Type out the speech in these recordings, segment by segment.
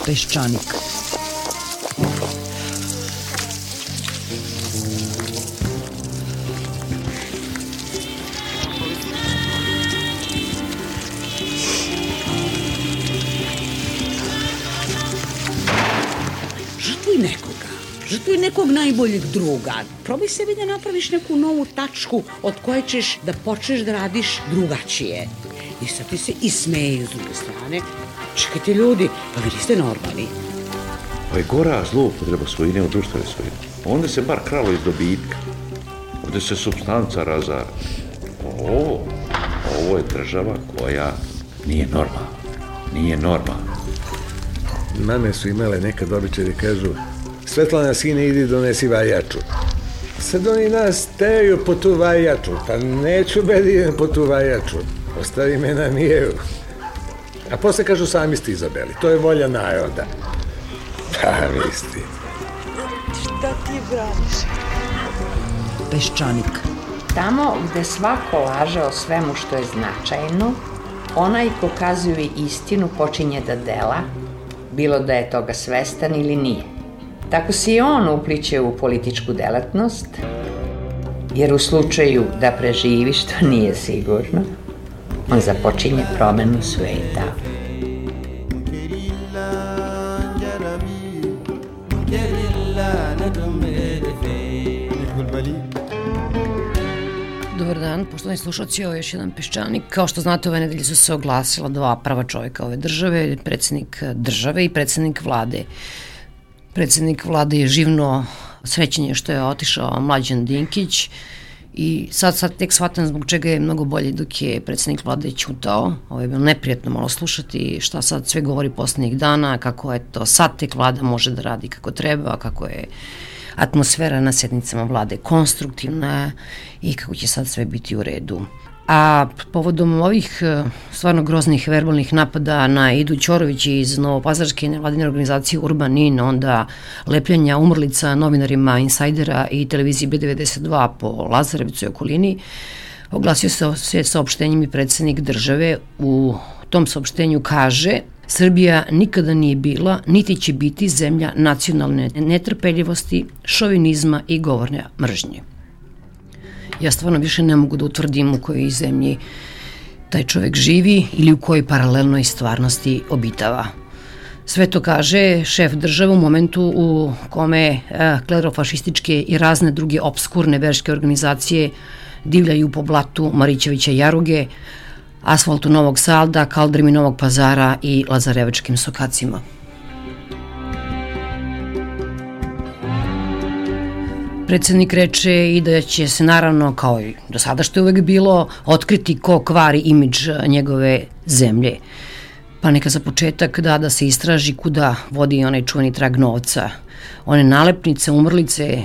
Peščanik. Žrtvuj nekog najboljeg druga. Probaj sebi da napraviš neku novu tačku od koje ćeš da počneš da radiš drugačije. I sad ti se ismeju s druge strane. Čekajte ljudi, pa vi niste normalni. Pa je gora zloupotreba svojine u društvene svojine. Onda se bar kralo iz dobitka. Ovde se supstanca razara. Ovo je država koja nije normalna. Nije normalna. Mame su imale nekad običaj da kažu: Svetlana, sine, idi donesi vajaču. Sad oni nas teraju po tu vajaču. Pa neću da idem po tu vajaču. Ostavi me na miru. A posle kažu: sami ste izabeli. To je volja naroda. Pa misli. Šta ti braniš? Peščanik. Tamo gde svako laže o svemu što je značajno, onaj ko kazuje istinu počinje da dela, bilo da je toga svestan ili nije. Tako se i on upliće u političku delatnost, jer u slučaju da preživi, što nije sigurno, on započinje promenu sveta. Dobar dan, poštovani slušalci, ovo je još jedan Peščanik. Kao što znate, ove nedelje su se oglasila dva prva čovjeka ove države, predsjednik države i predsjednik vlade. Predsjednik vlade je živno srećenje što je otišao Mlađan Dinkić i sad tek shvatam zbog čega je mnogo bolje dok je predsjednik vlade ćutao. Ovo je bilo neprijatno malo slušati šta sad sve govori poslednjih dana, kako eto sad tek vlada može da radi kako treba, kako je atmosfera na sednicama vlade konstruktivna i kako će sad sve biti u redu. A povodom ovih stvarno groznih verbalnih napada na Idu Ćorović iz novopazarske nevladine organizacije Urban In, onda lepljenja umrlica novinarima Insajdera i televiziji B92 po Lazarevcu i okolini, oglasio se saopštenjem i predsjednik države. U tom saopštenju kaže: Srbija nikada nije bila, niti će biti zemlja nacionalne netrpeljivosti, šovinizma i govorne mržnje. Ja stvarno više ne mogu da utvrdim u kojoj zemlji taj čovjek živi ili u kojoj paralelnoj stvarnosti obitava. Sve to kaže šef države u momentu u kome klerofašističke i razne druge obskurne verske organizacije divljaju po blatu Marićevića Jaruge, asfaltu Novog Sada, kaldrimi Novog Pazara i lazarevačkim sokacima. Predsjednik reče i da će se naravno, kao i do sada što je uvek bilo, otkriti ko kvari imidž njegove zemlje. Pa neka za početak da se istraži kuda vodi onaj čuveni trag novca. One nalepnice, umrlice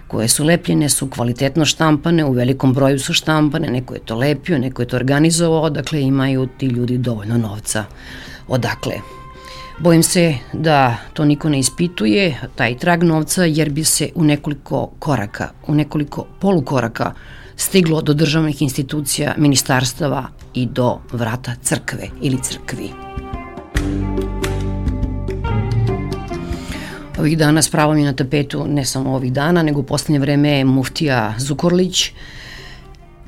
koje su lepljene su kvalitetno štampane, u velikom broju su štampane, neko je to lepio, neko je to organizovao, dakle imaju ti ljudi dovoljno novca. Odakle? Bojim se da to niko ne ispituje, taj trag novca, jer bi se u nekoliko koraka, u nekoliko polukoraka stiglo do državnih institucija, ministarstava i do vrata crkve ili crkvi. Ovih dana s pravom je na tapetu, ne samo ovih dana, nego u poslednje vreme muftija Zukorlić.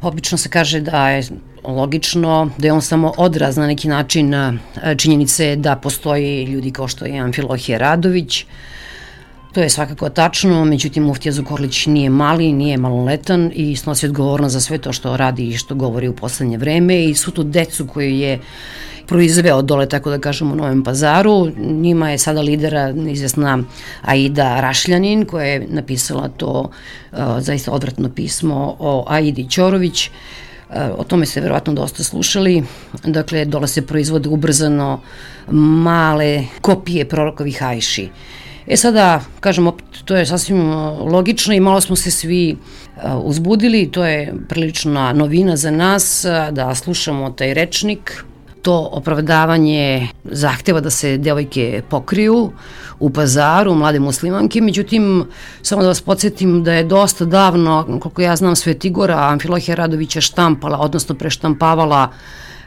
Obično se kaže da je logično, da je on samo odraz na neki način činjenice da postoji ljudi kao što je Amfilohije Radović. To je svakako tačno, međutim muftija Zukorlić nije mali, nije maloletan i snosi odgovornost za sve to što radi i što govori u poslednje vreme i svu tu decu koju je proizveo dole, tako da kažemo, u Novom Pazaru. Njima je sada lidera izvesna Aida Rašljanin, koja je napisala to zaista odvratno pismo o Aidi Ćorović. O tome ste verovatno dosta slušali. Dakle, dole se proizvode ubrzano male kopije prorokovih ajši. Sada, kažem, opet, to je sasvim logično i malo smo se svi uzbudili. To je prilična novina za nas da slušamo taj rečnik. To opravdavanje zahteva da se devojke pokriju u Pazaru, mlade muslimanke, međutim, samo da vas podsjetim da je dosta davno, koliko ja znam, Svetigora Amfilohija Radovića štampala, odnosno preštampavala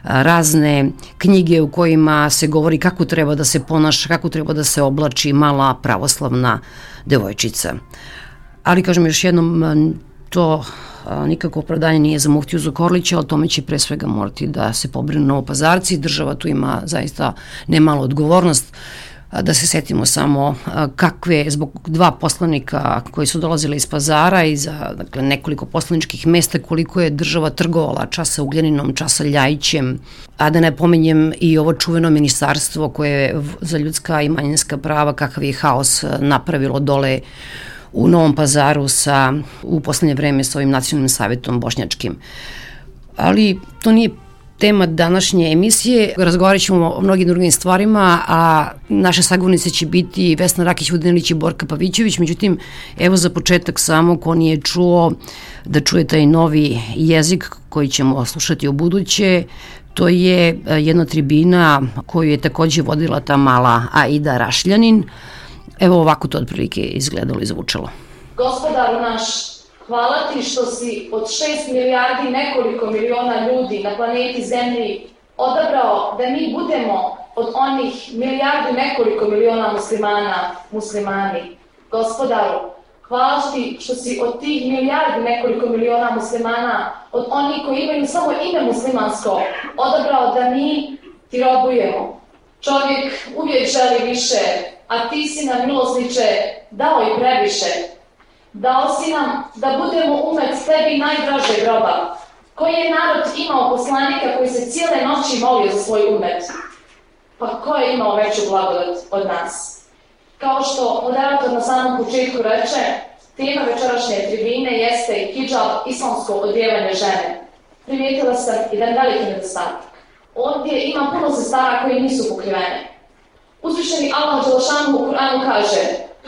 razne knjige u kojima se govori kako treba da se ponaša, kako treba da se oblači mala pravoslavna devojčica. Ali, kažem još jednom, to nikako opravdanje nije za muftiju Zukorlića, ali tome će pre svega morati da se pobrinu Novopazarci. Država tu ima zaista nemalu odgovornost. Da se setimo samo kakve, zbog 2 poslanika koji su dolazili iz Pazara i za nekoliko poslaničkih mesta, koliko je država trgovala časa Ugljaninom, časa Ljajićem, a da ne pominjem i ovo čuveno ministarstvo koje je za ljudska i manjinska prava, kakav je haos napravilo dole u Novom Pazaru u poslednje vreme sa ovim nacionalnim savjetom bošnjačkim. Ali to nije tema današnje emisije. Razgovarat ćemo o mnogim drugim stvarima, a naše sagovornice će biti Vesna Rakić-Vodinelić i Borka Pavićević. Međutim, evo za početak samo, ko nije čuo, da čuje taj novi jezik koji ćemo slušati u buduće. To je jedna tribina koju je takođe vodila ta mala Aida Rašljanin. Evo ovako to otprilike izgledalo i zvučalo. Gospodaru naš, hvala ti što si od 6 milijardi nekoliko miliona ljudi na planeti Zemlji odabrao da mi budemo od onih milijardu nekoliko miliona muslimani. Gospodaru, hvala ti što si od tih milijardi nekoliko miliona muslimana, od onih koji imaju samo ime muslimansko, odabrao da mi ti robujemo. Čovjek uvijek želi više, a ti si nam, milosniče, dao i previše. Dao si nam da budemo umet tebi najdražeg roba. Koji je narod imao poslanika koji se cijele noći molio za svoj umet? Pa ko je imao veću blagodat od nas? Kao što moderator na samom početku reče, tema večerašnje tribine jeste hidžab, islamsko odjevanje žene. Primijetila sam jedan veliki nedostatak. Ovdje ima puno sestara koji nisu pokrivene. Uzvišeni Allah Đelešanu u Kur'anu kaže: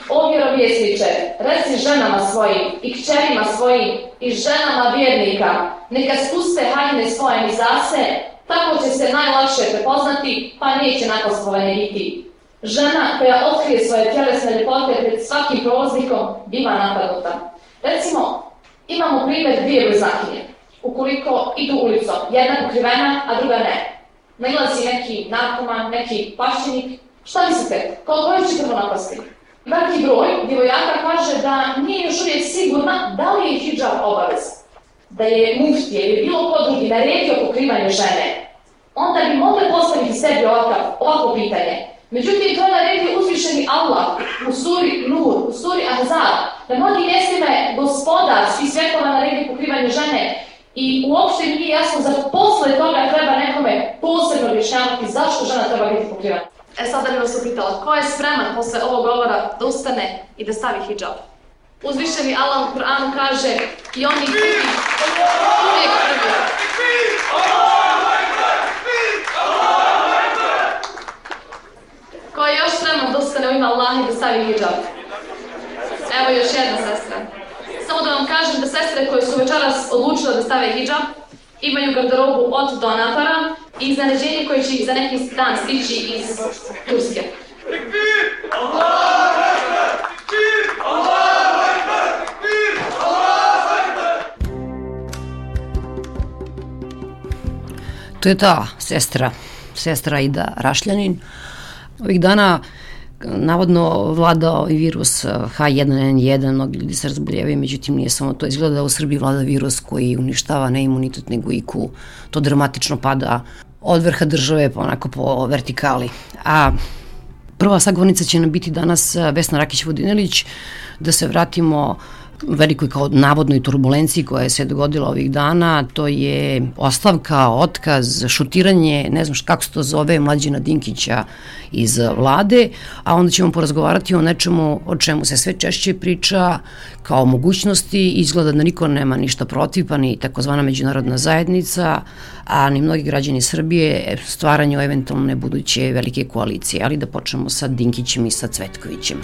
o vjerovjesniče, reci ženama svojim i kćerima svojim i ženama vjernika, neka spuste haljine svoje mizase, tako će se najlakše prepoznati, pa neće nakostvovanje biti. Žena koja otkrije svoje tjelesne ljepote pred svakim prolaznikom biva napadnuta. Recimo, imamo primjer 2 blizakinje. Ukoliko idu ulicom, jedna pokrivena, a druga ne. Nailazi neki narkoman, neki pašćenik, šta mislite, koliko će prvo napasti? Veliki broj djevojaka kaže da nije još uvijek sigurna da li je hidžab obavez. Da je muftije ili bilo ko drugi naredio pokrivanje žene, onda bi mogli postaviti sebi ovako pitanje. Međutim, to je naredio uzvišeni Allah u suri Nur, u suri Ahzab. Na mnogim mjestima je gospodar svih svjetova naredio pokrivanje žene i uopšte nije jasno za posle toga treba nekome posebno objašnjavati zašto žena treba biti pokrivana. Sada bih vas upitala, ko je spreman posle ovog govora da ustane i da stavi hidžab? Uzvišeni Allah u Kur'anu kaže i oni uvijek prvi. Ko je još spreman da ustane u ime Allaha i da stavi hidžab? Evo još jedna sestra. Samo da vam kažem da sestre koje su večeras odlučile da stave hidžab imaju garderobu od donatora i iznenađenje koje će za neki dan stići iz Turske. To je ta sestra Aida Rašljanin. Ovih dana navodno vladao i virus H1N1, mnogi ljudi se razboljevaju, međutim nije samo to. Izgleda da u Srbiji vlada virus koji uništava ne imunitet nego IQ. To dramatično pada od vrha države onako po vertikali. A prva sagovornica će nam biti danas Vesna Rakić-Vodinelić. Da se vratimo velikoj kao navodnoj turbulenciji koja je se dogodila ovih dana, to je ostavka, otkaz, šutiranje, ne znam kako se to zove, Mlađana Dinkića iz vlade, a onda ćemo porazgovarati o nečemu o čemu se sve češće priča kao mogućnosti. Izgleda da niko nema ništa protiv, pa ni takozvana međunarodna zajednica, a ni mnogi građani Srbije stvaranju eventualne buduće velike koalicije. Ali da počnemo sa Dinkićem i sa Cvetkovićem.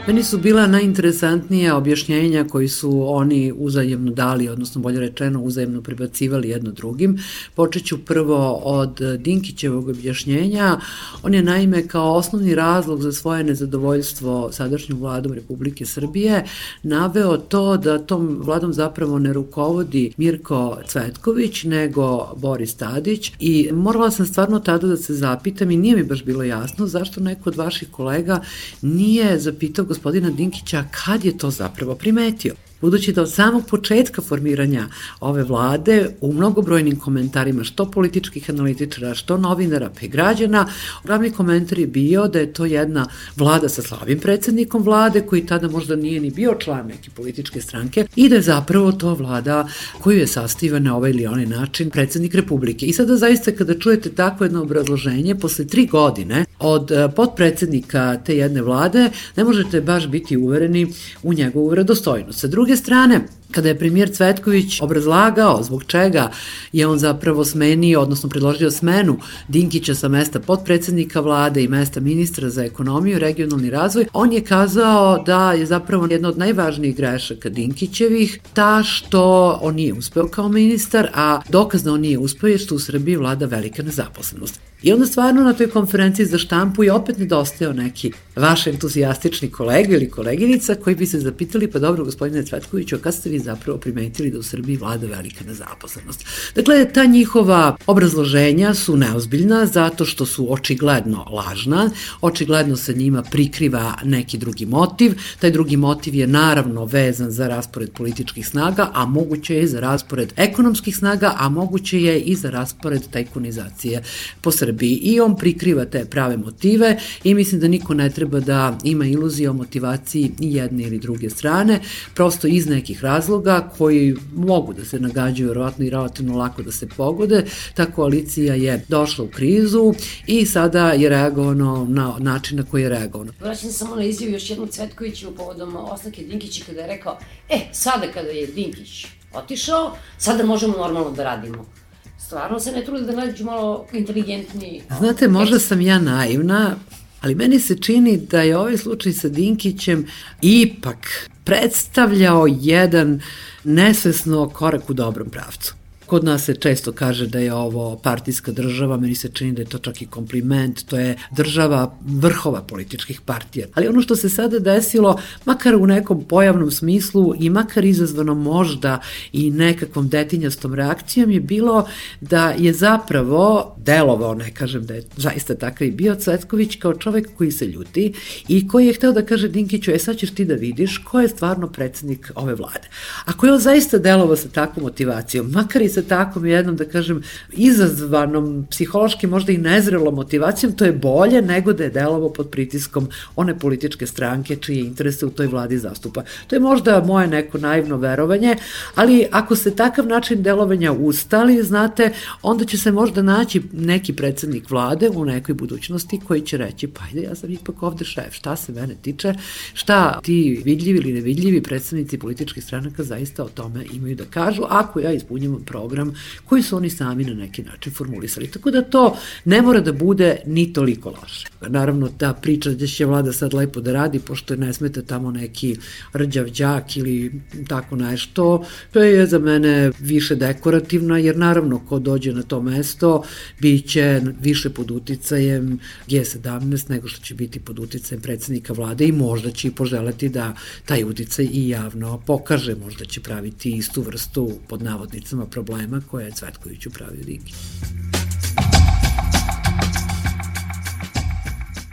Meni su bila najinteresantnija objašnjenja koji su oni uzajemno dali, odnosno bolje rečeno uzajemno prebacivali jedno drugim. Počet ću prvo od Dinkićevog objašnjenja. On je naime kao osnovni razlog za svoje nezadovoljstvo sadašnjom vladom Republike Srbije naveo to da tom vladom zapravo ne rukovodi Mirko Cvetković, nego Boris Tadić, i morala sam stvarno tada da se zapitam i nije mi baš bilo jasno zašto neko od vaših kolega nije zapitao gospodina Dinkića kad je to zapravo primetio. Budući da od samog početka formiranja ove vlade u mnogobrojnim komentarima što političkih analitičara, što novinara pa i građana, glavni komentar je bio da je to jedna vlada sa slabim predsednikom vlade koji tada možda nije ni bio član neke političke stranke i da je zapravo to vlada koju je sastavio na ovaj ili onaj način predsednik Republike. I sada zaista kada čujete takvo jedno obrazloženje posle 3 godine od potpredsednika te jedne vlade, ne možete baš biti uvereni u njegovu vredostojnost. Sa druge strane, kada je premijer Cvetković obrazlagao zbog čega je on zapravo smenio, odnosno predložio smenu Dinkića sa mesta potpredsednika vlade i mesta ministra za ekonomiju i regionalni razvoj, on je kazao da je zapravo jedna od najvažnijih grešaka Dinkićevih ta što on nije uspeo kao ministar, a dokaz da on nije uspeo je što u Srbiji vlada velika nezaposlenost. I onda stvarno na toj konferenciji za štampu je opet nedostajao neki vaš entuzijastični kolega ili koleginica koji bi se zapitali, pa dobro gospodine Cvetkoviću, a kad ste vi zapravo primetili da u Srbiji vlada velika nezaposlenost? Dakle, ta njihova obrazloženja su neozbiljna zato što su očigledno lažna, očigledno se njima prikriva neki drugi motiv, taj drugi motiv je naravno vezan za raspored političkih snaga, a moguće je za raspored ekonomskih snaga, a moguće je i za raspored tajkunizacije po Srbiji. I on prikriva te prave motive i mislim da niko ne treba da ima iluzije o motivaciji ni jedne ili druge strane, prosto iz nekih razloga koji mogu da se nagađaju verovatno i relativno lako da se pogode. Ta koalicija je došla u krizu i sada je reagovano na način na koji je reagovano. Vraćam se samo na izjavu još jednu Cvetkoviću povodom ostavke Dinkića kada je rekao, sada kada je Dinkić otišao, sada možemo normalno da radimo. Stvarno se ne trude da nađu malo inteligentni... Znate, možda sam ja naivna, ali meni se čini da je ovaj slučaj sa Dinkićem ipak predstavljao jedan nesvesno korak u dobrom pravcu. Kod nas se često kaže da je ovo partijska država, meni se čini da je to čak i kompliment, to je država vrhova političkih partija. Ali ono što se sada desilo, makar u nekom pojavnom smislu i makar izazvano možda i nekakvom detinjastom reakcijom, je bilo da je zapravo delovao, ne kažem da je zaista takav i bio, Cvetković kao čovek koji se ljuti i koji je hteo da kaže Dinkiću, sad ćeš ti da vidiš ko je stvarno predsednik ove vlade. Ako je on zaista delovao sa takvom motivacijom, makar i sa takvom jednom, da kažem, izazvanom, psihološki možda i nezrelom motivacijom, to je bolje nego da je delovao pod pritiskom one političke stranke čije interese u toj vladi zastupa. To je možda moje neko naivno verovanje, ali ako se takav način delovanja ustali, znate, onda će se možda naći neki predsednik vlade u nekoj budućnosti koji će reći, pa ajde, ja sam ipak ovde šef, šta se mene tiče, šta ti vidljivi ili nevidljivi predsednici političkih stranaka zaista o tome imaju da kažu, ako ja ispunjavam program koji su oni sami na neki način formulisali. Tako da to ne mora da bude ni toliko loše. Naravno, ta priča da će vlada sad lepo da radi, pošto ne smeta tamo neki rđav đak ili tako nešto, to je za mene više dekorativno, jer naravno ko dođe na to mesto biće više pod uticajem G17 nego što će biti pod uticajem predsednika vlade i možda će i poželeti da taj uticaj i javno pokaže, možda će praviti istu vrstu pod navodnicama problema koje je Cvetkoviću pravio Dinkić.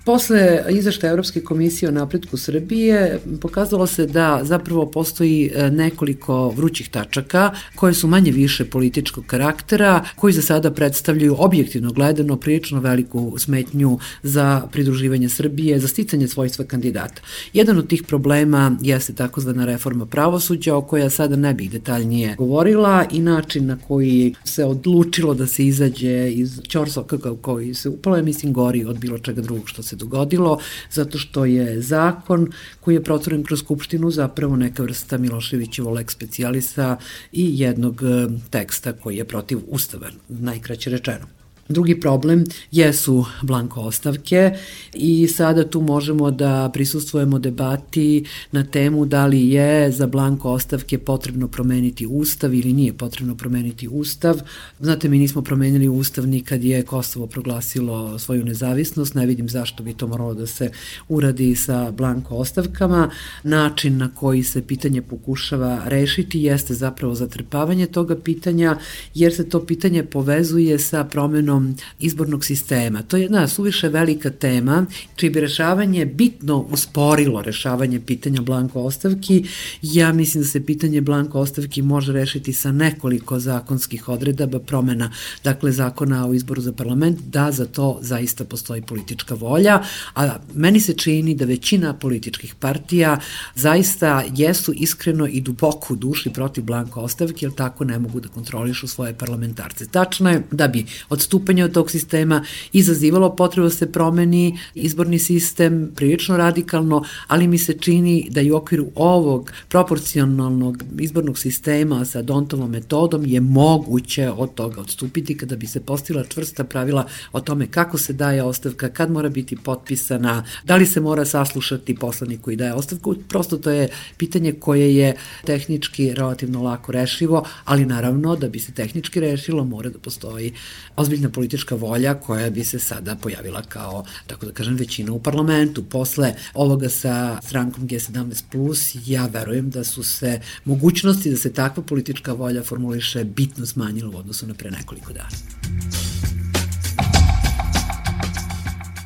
Posle izveštaja Evropske komisije o napretku Srbije pokazalo se da zapravo postoji nekoliko vrućih tačaka koje su manje više političkog karaktera, koji za sada predstavljaju objektivno gledano prilično veliku smetnju za pridruživanje Srbije, za sticanje svojstva kandidata. Jedan od tih problema jeste takozvana reforma pravosuđa, o kojoj ja sada ne bih detaljnije govorila, i način na koji se odlučilo da se izađe iz ćorsokaka u koji se upalo, mislim, gori od bilo čega drugog što se dogodilo, zato što je zakon koji je proturen kroz Skupštinu zapravo neka vrsta Miloševićevo lex specialisa i jednog teksta koji je protiv ustava, najkraće rečeno. Drugi problem jesu blanko ostavke i sada tu možemo da prisustvujemo debati na temu da li je za blanko ostavke potrebno promeniti ustav ili nije potrebno promeniti ustav. Znate, mi nismo promenili ustav ni kad je Kosovo proglasilo svoju nezavisnost, ne vidim zašto bi to moralo da se uradi sa blanko ostavkama. Način na koji se pitanje pokušava rešiti jeste zapravo zatrpavanje toga pitanja, jer se to pitanje povezuje sa promenom izbornog sistema. To je jedna suviše velika tema, čiji bi rešavanje bitno usporilo rešavanje pitanja blanko ostavki. Ja mislim da se pitanje blanko ostavki može rešiti sa nekoliko zakonskih odredaba, promena, dakle, zakona o izboru za parlament, da za to zaista postoji politička volja, a meni se čini da većina političkih partija zaista jesu iskreno i duboko u duši protiv blanko ostavke, jer tako ne mogu da kontrolišu svoje parlamentarce. Tačno je da bi odstupanje od tog sistema izazivalo potrebu da se promeni izborni sistem prilično radikalno, ali mi se čini da i u okviru ovog proporcionalnog izbornog sistema sa Dontovom metodom je moguće od toga odstupiti kada bi se postigla čvrsta pravila o tome kako se daje ostavka, kad mora biti potpisana, da li se mora saslušati poslanik koji daje ostavku. Prosto to je pitanje koje je tehnički relativno lako rešivo, ali naravno da bi se tehnički rešilo mora da postoji ozbiljna politička volja koja bi se sada pojavila kao, tako da kažem, većina u parlamentu. Posle ovoga sa strankom G17+, ja verujem da su se mogućnosti da se takva politička volja formuliše bitno smanjila u odnosu na pre nekoliko dana.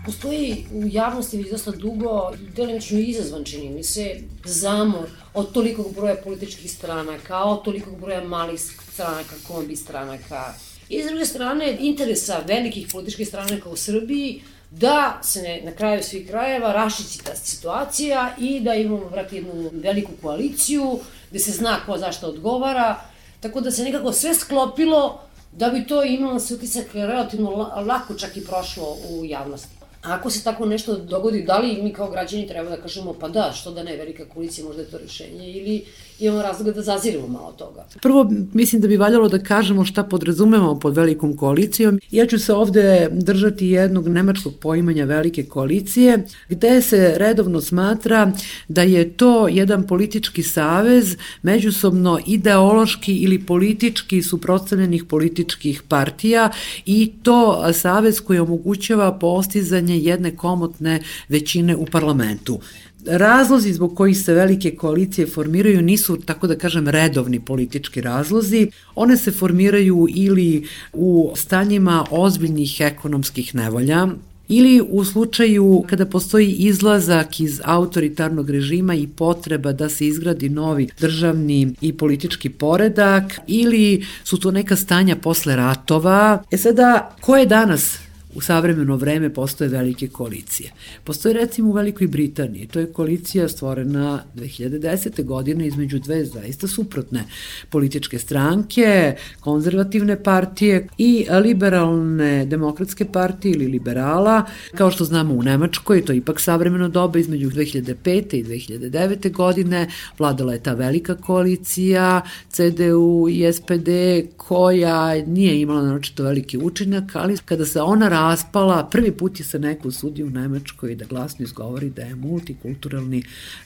Postoji u javnosti već dosta dugo, delimično izazvan, čini mi se, zamor od tolikog broja političkih stranaka, od tolikog broja malih stranaka, kombi stranaka. I s druge strane, interesa velikih političkih stranaka u Srbiji da se na kraju svih krajeva raščisti ta situacija i da imamo jednu veliku koaliciju gde se zna ko zašto odgovara, tako da se nekako sve sklopilo da bi to imalo se utisak relativno lako čak i prošlo u javnosti. Ako se tako nešto dogodi, da li mi kao građani treba da kažemo pa da, što da ne, velika koalicija, možda je to rešenje, ili imamo razloga da zazirimo malo toga? Prvo, mislim da bi valjalo da kažemo šta podrazumemo pod velikom koalicijom. Ja ću se ovde držati jednog nemačkog poimanja velike koalicije, gde se redovno smatra da je to jedan politički savez međusobno ideološki ili politički suprotstavljenih političkih partija, i to savez koji omogućava postizanje jedne komotne većine u parlamentu. Razlozi zbog kojih se velike koalicije formiraju nisu, tako da kažem, redovni politički razlozi. One se formiraju ili u stanjima ozbiljnih ekonomskih nevolja, ili u slučaju kada postoji izlazak iz autoritarnog režima i potreba da se izgradi novi državni i politički poredak, ili su to neka stanja posle ratova. Sada, ko je danas u savremeno vreme postoje velike koalicije? Postoje recimo u Velikoj Britaniji, to je koalicija stvorena 2010. godine između dve zaista suprotne političke stranke, konzervativne partije i liberalne demokratske partije ili liberala. Kao što znamo u Nemačkoj, to je ipak savremeno doba, između 2005. i 2009. godine vladala je ta velika koalicija CDU i SPD, koja nije imala naročito veliki učinak, ali kada se ona raspala, prvi put je se neko usudio u Nemačkoj da glasno izgovori da je multikulturalni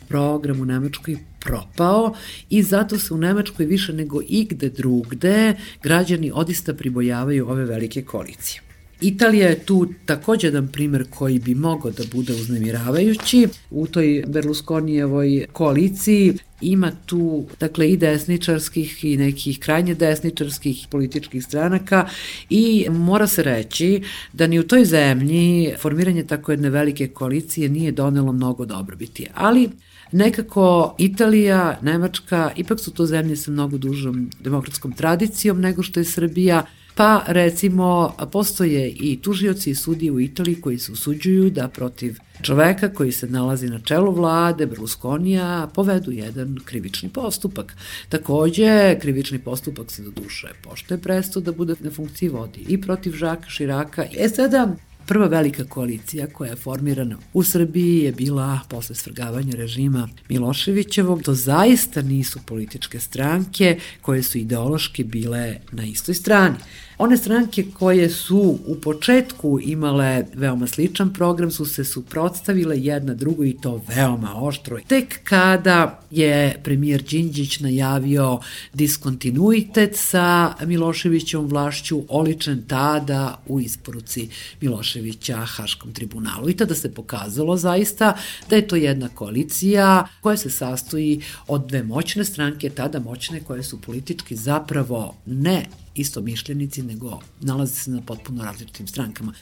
program u Nemačkoj propao, i zato se u Nemačkoj više nego igde drugde građani odista pribojavaju ove velike koalicije. Italija je tu takođe jedan primer koji bi mogao da bude uznemiravajući. U toj Berlusconijevoj koaliciji ima tu, dakle, i desničarskih i nekih krajnje desničarskih političkih stranaka, i mora se reći da ni u toj zemlji formiranje tako jedne velike koalicije nije donelo mnogo dobrobiti. Ali nekako Italija, Nemačka, ipak su to zemlje sa mnogo dužom demokratskom tradicijom nego što je Srbija. Pa recimo postoje i tužioci i sudije u Italiji koji se usuđuju da protiv čoveka koji se nalazi na čelu vlade, Berlusconija, povedu jedan krivični postupak. Takođe, krivični postupak se do duše pošto je prestao da bude na funkciji, vodi i protiv Žaka Širaka. Sada, Prva velika koalicija koja je formirana u Srbiji je bila posle svrgavanja režima Miloševićevog. To zaista nisu političke stranke koje su ideološki bile na istoj strani. One stranke koje su u početku imale veoma sličan program su se suprotstavile jedna drugoj i to veoma oštro. Tek kada je premijer Đinđić najavio diskontinuitet sa Miloševićevom vlašću, oličen tada u isporuci Miloševića Haškom tribunalu. I tada se pokazalo zaista da je to jedna koalicija koja se sastoji od dve moćne stranke, tada moćne, koje su politički zapravo ne istomišljenici, nego nalaze se na potpuno različitim strankama.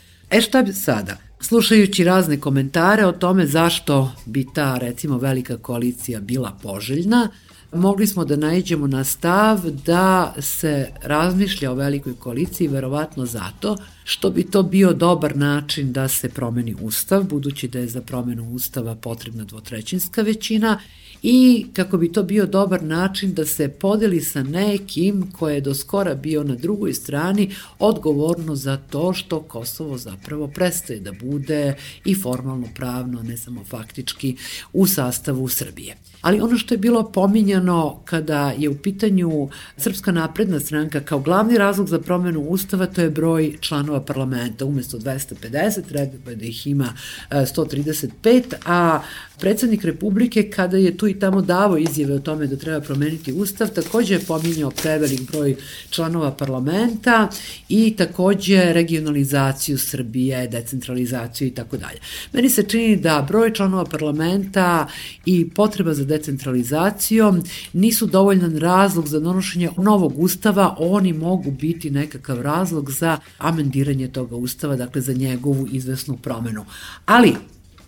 Šta bi sada? Slušajući razne komentare o tome zašto bi ta, recimo, velika koalicija bila poželjna, mogli smo da naiđemo na stav da se razmišlja o velikoj koaliciji verovatno zato što bi to bio dobar način da se promeni ustav, budući da je za promenu ustava potrebna dvotrećinska većina, i kako bi to bio dobar način da se podeli sa nekim ko je do skora bio na drugoj strani odgovorno za to što Kosovo zapravo prestaje da bude i formalno pravno, ne samo faktički, u sastavu Srbije. Ali ono što je bilo pominjano kada je u pitanju Srpska napredna stranka kao glavni razlog za promenu ustava, to je broj članova parlamenta. Umesto 250, treba da ih ima 135, a predsednik Republike, kada je tu i tamo davao izjave o tome da treba promeniti ustav, takođe je pominjao prevelik broj članova parlamenta i takođe regionalizaciju Srbije, decentralizaciju i tako dalje. Meni se čini da broj članova parlamenta i potreba za decentralizacijom nisu dovoljan razlog za donošenje novog ustava, oni mogu biti nekakav razlog za amendiranje toga ustava, dakle za njegovu izvesnu promenu. Ali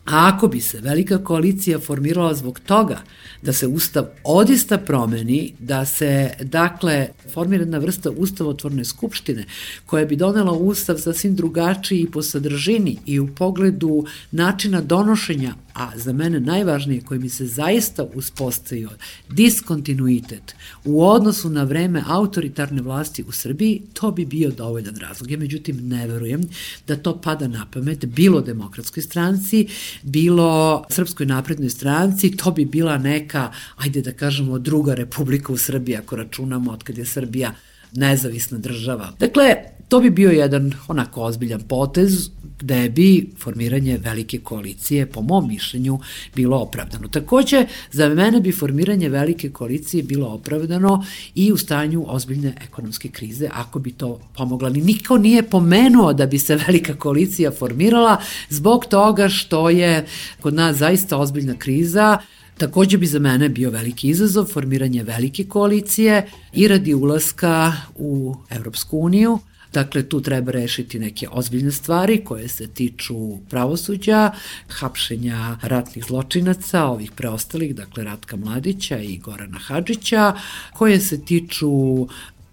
ako bi se velika koalicija formirala zbog toga da se ustav odista promeni, da se, dakle, formira jedna vrsta ustavotvorne skupštine koja bi donela ustav sasvim drugačiji i po sadržini i u pogledu načina donošenja, a za mene najvažnije koji mi se zaista uspostavio diskontinuitet u odnosu na vreme autoritarne vlasti u Srbiji, to bi bio dovoljan razlog. Ja međutim ne verujem da to pada na pamet bilo Demokratskoj stranci, bilo Srpskoj naprednoj stranci, to bi bila neka, ajde da kažemo, druga republika u Srbiji, ako računamo od kad je Srbija nezavisna država. Dakle, to bi bio jedan onako ozbiljan potez gde bi formiranje velike koalicije, po mom mišljenju, bilo opravdano. Takođe, za mene bi formiranje velike koalicije bilo opravdano i u stanju ozbiljne ekonomske krize, ako bi to pomogla. Niko nije pomenuo da bi se velika koalicija formirala zbog toga što je kod nas zaista ozbiljna kriza. Takođe bi za mene bio veliki izazov formiranje velike koalicije i radi ulaska u Evropsku uniju. Dakle, tu treba rešiti neke ozbiljne stvari koje se tiču pravosuđa, hapšenja ratnih zločinaca, ovih preostalih, dakle Ratka Mladića i Gorana Hadžića, koje se tiču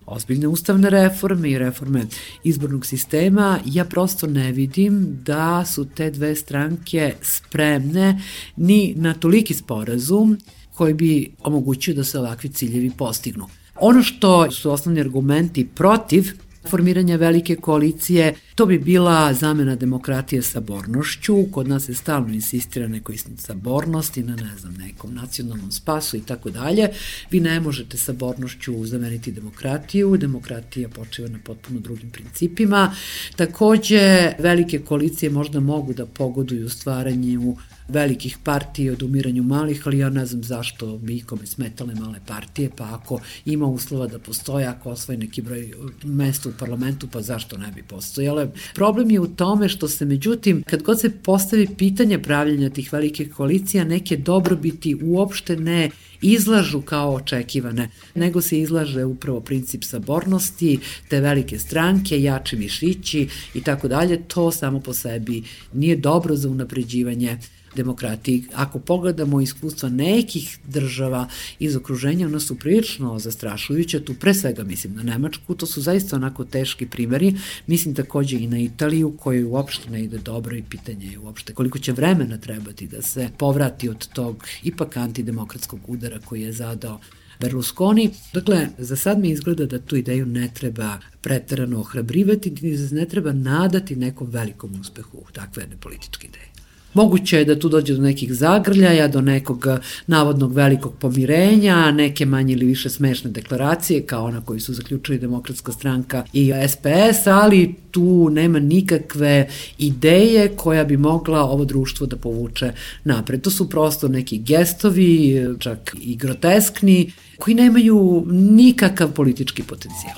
ozbiljne ustavne reforme i reforme izbornog sistema. Ja prosto ne vidim da su te dve stranke spremne ni na toliki sporazum koji bi omogućio da se ovakvi ciljevi postignu. Ono što su osnovni argumenti protiv formiranja velike koalicije, to bi bila zamena demokratije sabornošću. Kod nas se stalno insistira nekoj sabornosti, na nekom nacionalnom spasu i tako dalje. Vi ne možete sabornošću zameniti demokratiju, demokratija počiva na potpuno drugim principima. Takođe, velike koalicije možda mogu da pogoduju stvaranju velikih partija, od umiranju malih, ali ja ne znam zašto bi ikome smetale male partije, pa ako ima uslova da postoje, ako osvoje neki broj mesta u parlamentu, pa zašto ne bi postojale. Problem je u tome što se, međutim, kad god se postavi pitanje pravljenja tih velikih koalicija, neke dobrobiti uopšte ne izlažu kao očekivane, nego se izlaže upravo princip sabornosti, te velike stranke, jači mišići i tako dalje. To samo po sebi nije dobro za unapređivanje demokratiji. Ako pogledamo iskustva nekih država iz okruženja, ona su prilično zastrašujuća, tu pre svega mislim na Nemačku, to su zaista onako teški primeri, mislim takođe i na Italiju, kojoj uopšte ne ide dobro i pitanje je uopšte koliko će vremena trebati da se povrati od tog ipak antidemokratskog udara koji je zadao Berlusconi. Dakle, za sad mi izgleda da tu ideju ne treba preterano ohrabrivati, ne treba nadati nekom velikom uspehu takve jedne političke ideje. Moguće je da tu dođe do nekih zagrljaja, do nekog navodnog velikog pomirenja, neke manje ili više smešne deklaracije, kao ona koju su zaključili Demokratska stranka i SPS, ali tu nema nikakve ideje koja bi mogla ovo društvo da povuče napred. To su prosto neki gestovi, čak i groteskni, koji nemaju nikakav politički potencijal.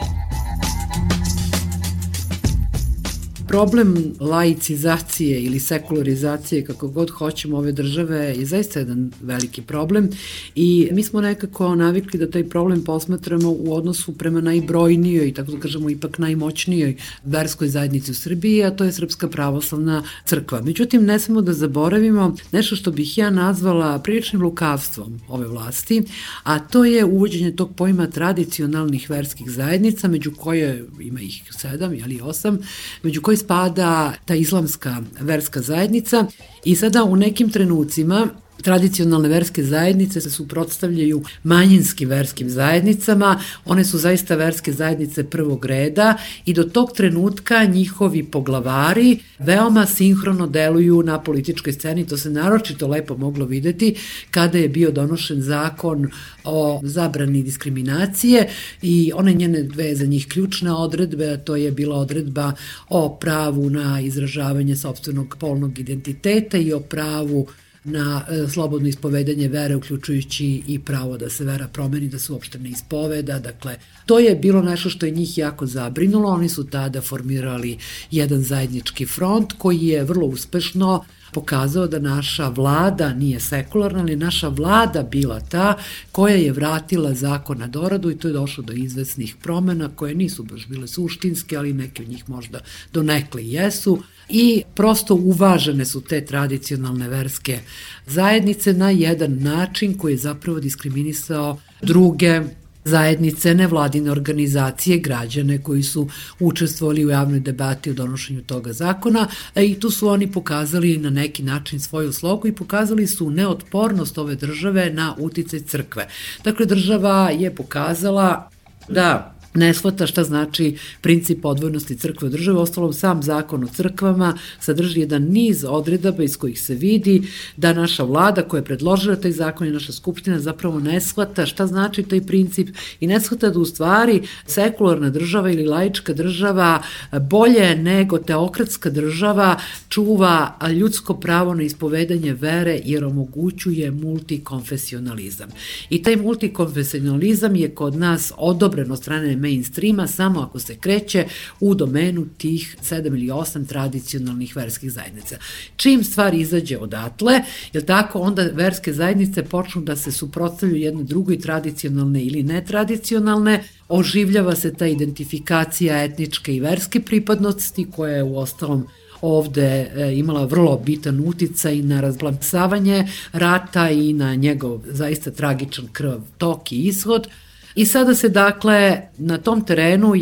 Problem laicizacije ili sekularizacije, kako god hoćemo, ove države je zaista jedan veliki problem i mi smo nekako navikli da taj problem posmatramo u odnosu prema najbrojnijoj, tako da kažemo ipak najmoćnijoj verskoj zajednici u Srbiji, a to je Srpska pravoslavna crkva. Međutim, ne smemo da zaboravimo nešto što bih ja nazvala priličnim lukavstvom ove vlasti, a to je uvođenje tog pojma tradicionalnih verskih zajednica, među koje ima ih 7 ili 8, među koje spada ta islamska verska zajednica i sada u nekim trenucima tradicionalne verske zajednice se suprotstavljaju manjinskim verskim zajednicama, one su zaista verske zajednice prvog reda i do tog trenutka njihovi poglavari veoma sinhrono deluju na političkoj sceni, to se naročito lepo moglo videti kada je bio donošen zakon o zabrani diskriminacije i one njene dve za njih ključne odredbe, a to je bila odredba o pravu na izražavanje sopstvenog polnog identiteta i o pravu na slobodno ispovedanje vere, uključujući i pravo da se vera promeni, da se uopšte ne ispoveda. Dakle, to je bilo nešto što je njih jako zabrinulo. Oni su tada formirali jedan zajednički front koji je vrlo uspešno pokazao da naša vlada nije sekularna, ali naša vlada bila ta koja je vratila zakon na doradu i to je došlo do izvesnih promena koje nisu baš bile suštinske, ali neke od njih možda donekle jesu. I prosto uvažene su te tradicionalne verske zajednice na jedan način koji je zapravo diskriminisao druge zajednice, nevladine organizacije, građane koji su učestvovali u javnoj debati o donošenju toga zakona i tu su oni pokazali na neki način svoju slogu i pokazali su neotpornost ove države na uticaj crkve. Dakle, država je pokazala da ne shvata šta znači princip odvojnosti crkve od države. Ostalom, sam zakon o crkvama sadrži jedan niz odredaba iz kojih se vidi da naša vlada koja je predložila taj zakon i naša skupština zapravo ne shvata šta znači taj princip i ne shvata da u stvari sekularna država ili laička država bolje nego teokratska država čuva ljudsko pravo na ispovedanje vere jer omogućuje multikonfesionalizam. I taj multikonfesionalizam je kod nas odobren od strane mainstreama samo ako se kreće u domenu tih 7 ili 8 tradicionalnih verskih zajednica. Čim stvar izađe odatle, jel tako, onda verske zajednice počnu da se suprotstavljaju jedne drugoj, tradicionalne ili netradicionalne, oživljava se ta identifikacija etničke i verske pripadnosti koja je u ostalom ovde imala vrlo bitan uticaj na razblansavanje rata i na njegov zaista tragičan krvav tok i ishod. I sada se dakle na tom terenu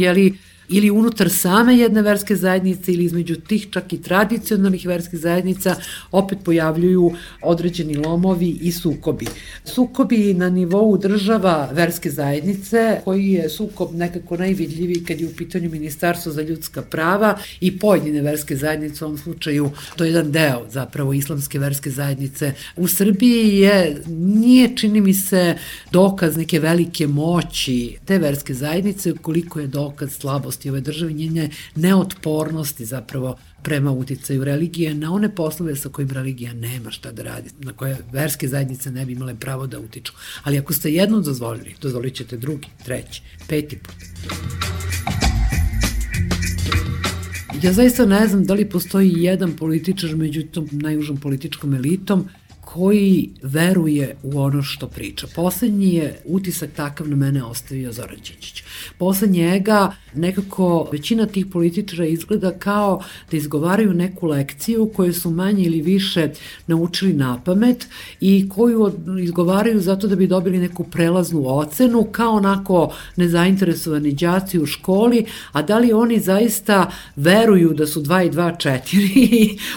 ili unutar same jedne verske zajednice ili između tih čak i tradicionalnih verskih zajednica opet pojavljuju određeni lomovi i sukobi. Sukobi na nivou država verske zajednice, koji je sukob nekako najvidljiviji kad je u pitanju Ministarstvo za ljudska prava i pojedine verske zajednice, u ovom slučaju to je jedan deo zapravo islamske verske zajednice u Srbiji, nije čini mi se dokaz neke velike moći te verske zajednice, koliko je dokaz slabosti ove države, njene neotpornosti zapravo prema uticaju religije na one poslove sa kojim religija nema šta da radi, na koje verske zajednice ne bi imale pravo da utiču. Ali ako ste jednom dozvolili, dozvolit ćete drugi, treći, 5. put. Ja zaista ne znam da li postoji jedan političar među tom najužom političkom elitom koji veruje u ono što priča. Poslednji je utisak takav na mene ostavio Zoran Đinđić. Posle njega nekako većina tih političara izgleda kao da izgovaraju neku lekciju koju su manje ili više naučili napamet i koju izgovaraju zato da bi dobili neku prelaznu ocenu, kao onako nezainteresovani đaci u školi, a da li oni zaista veruju veruju da su 2 i 2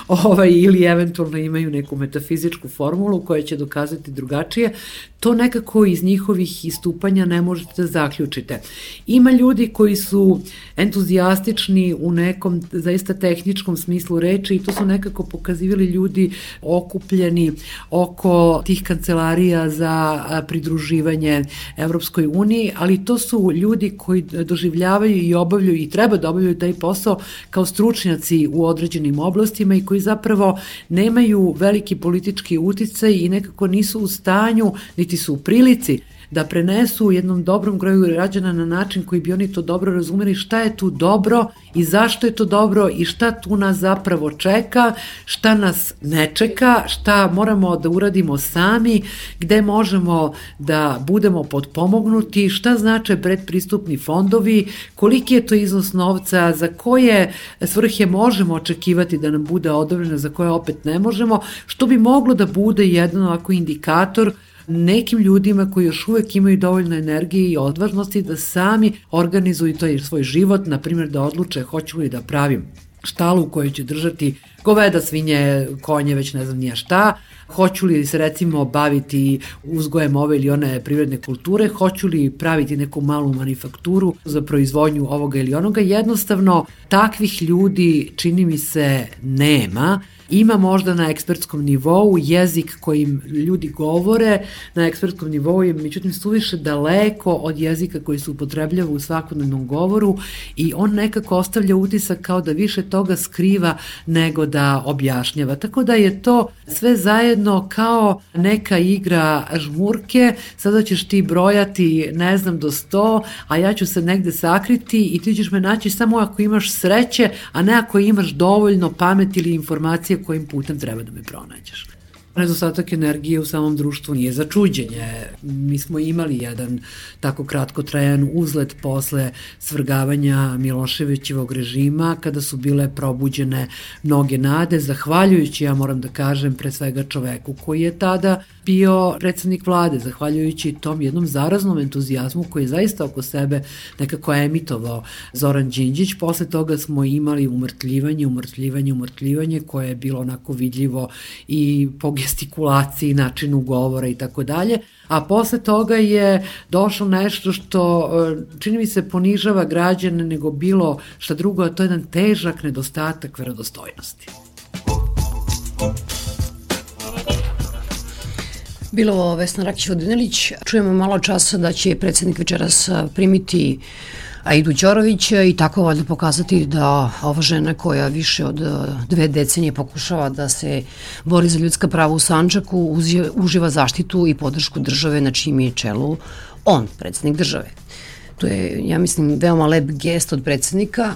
4 ili eventualno imaju neku metafizičku formulu koja će dokazati drugačije, to nekako iz njihovih istupanja ne možete da zaključite. Ima ljudi koji su entuzijastični u nekom zaista tehničkom smislu reči i to su nekako pokazivali ljudi okupljeni oko tih kancelarija za pridruživanje Evropskoj uniji, ali to su ljudi koji doživljavaju i obavljaju i treba da obavljaju taj posao kao stručnjaci u određenim oblastima i koji zapravo nemaju veliki politički uticaj i nekako nisu u stanju, niti su u prilici da prenesu jednom dobrom broju građana na način koji bi oni to dobro razumeli šta je tu dobro i zašto je to dobro i šta tu nas zapravo čeka, šta nas ne čeka, šta moramo da uradimo sami, gde možemo da budemo potpomognuti, šta znače predpristupni fondovi, koliki je to iznos novca, za koje svrhe možemo očekivati da nam bude odobreno, za koje opet ne možemo, što bi moglo da bude jedan ovako indikator nekim ljudima koji još uvek imaju dovoljno energije i odvažnosti da sami organizuju to svoj život, na primjer da odluče hoću li da pravim štalu u kojoj će držati goveda, svinje, konje, već ne znam nija šta, hoću li se recimo baviti uzgojem ove ili one privredne kulture, hoću li praviti neku malu manufakturu za proizvodnju ovoga ili onoga. Jednostavno, takvih ljudi čini mi se nema. Ima možda na ekspertskom nivou jezik kojim ljudi govore, na ekspertskom nivou je međutim suviše daleko od jezika koji se upotrebljava u svakodnevnom govoru i on nekako ostavlja utisak kao da više toga skriva nego da objašnjava. Tako da je to sve zajedno kao neka igra žmurke, sada ćeš ti brojati ne znam do 100, a ja ću se negde sakriti i ti ćeš me naći samo ako imaš sreće, a ne ako imaš dovoljno pameti ili informacije kojim putem treba da me pronađeš. Nedostatak energije u samom društvu nije za čuđenje. Mi smo imali jedan tako kratkotrajan uzlet posle svrgavanja Miloševićevog režima, kada su bile probuđene mnoge nade, zahvaljujući, ja moram da kažem, pre svega čoveku koji je tada bio predsednik vlade, zahvaljujući tom jednom zaraznom entuzijazmu koji je zaista oko sebe nekako emitovao Zoran Đinđić. Posle toga smo imali umrtljivanje koje je bilo onako vidljivo i po gestikulaciji, načinu govora i tako dalje, a posle toga je došlo nešto što čini mi se ponižava građane nego bilo šta drugo, a to je jedan težak nedostatak verodostojnosti. Bilo Vesna Rakić-Vodinelić. Čujemo malo časa da će predsjednik večeras primiti Aidu Ćorovića i tako valjda pokazati da ova žena koja više od 2 decenije pokušava da se bori za ljudska prava u Sandžaku uživa zaštitu i podršku države na čijem je čelu on, predsjednik države. To je, ja mislim, veoma lep gest od predsjednika.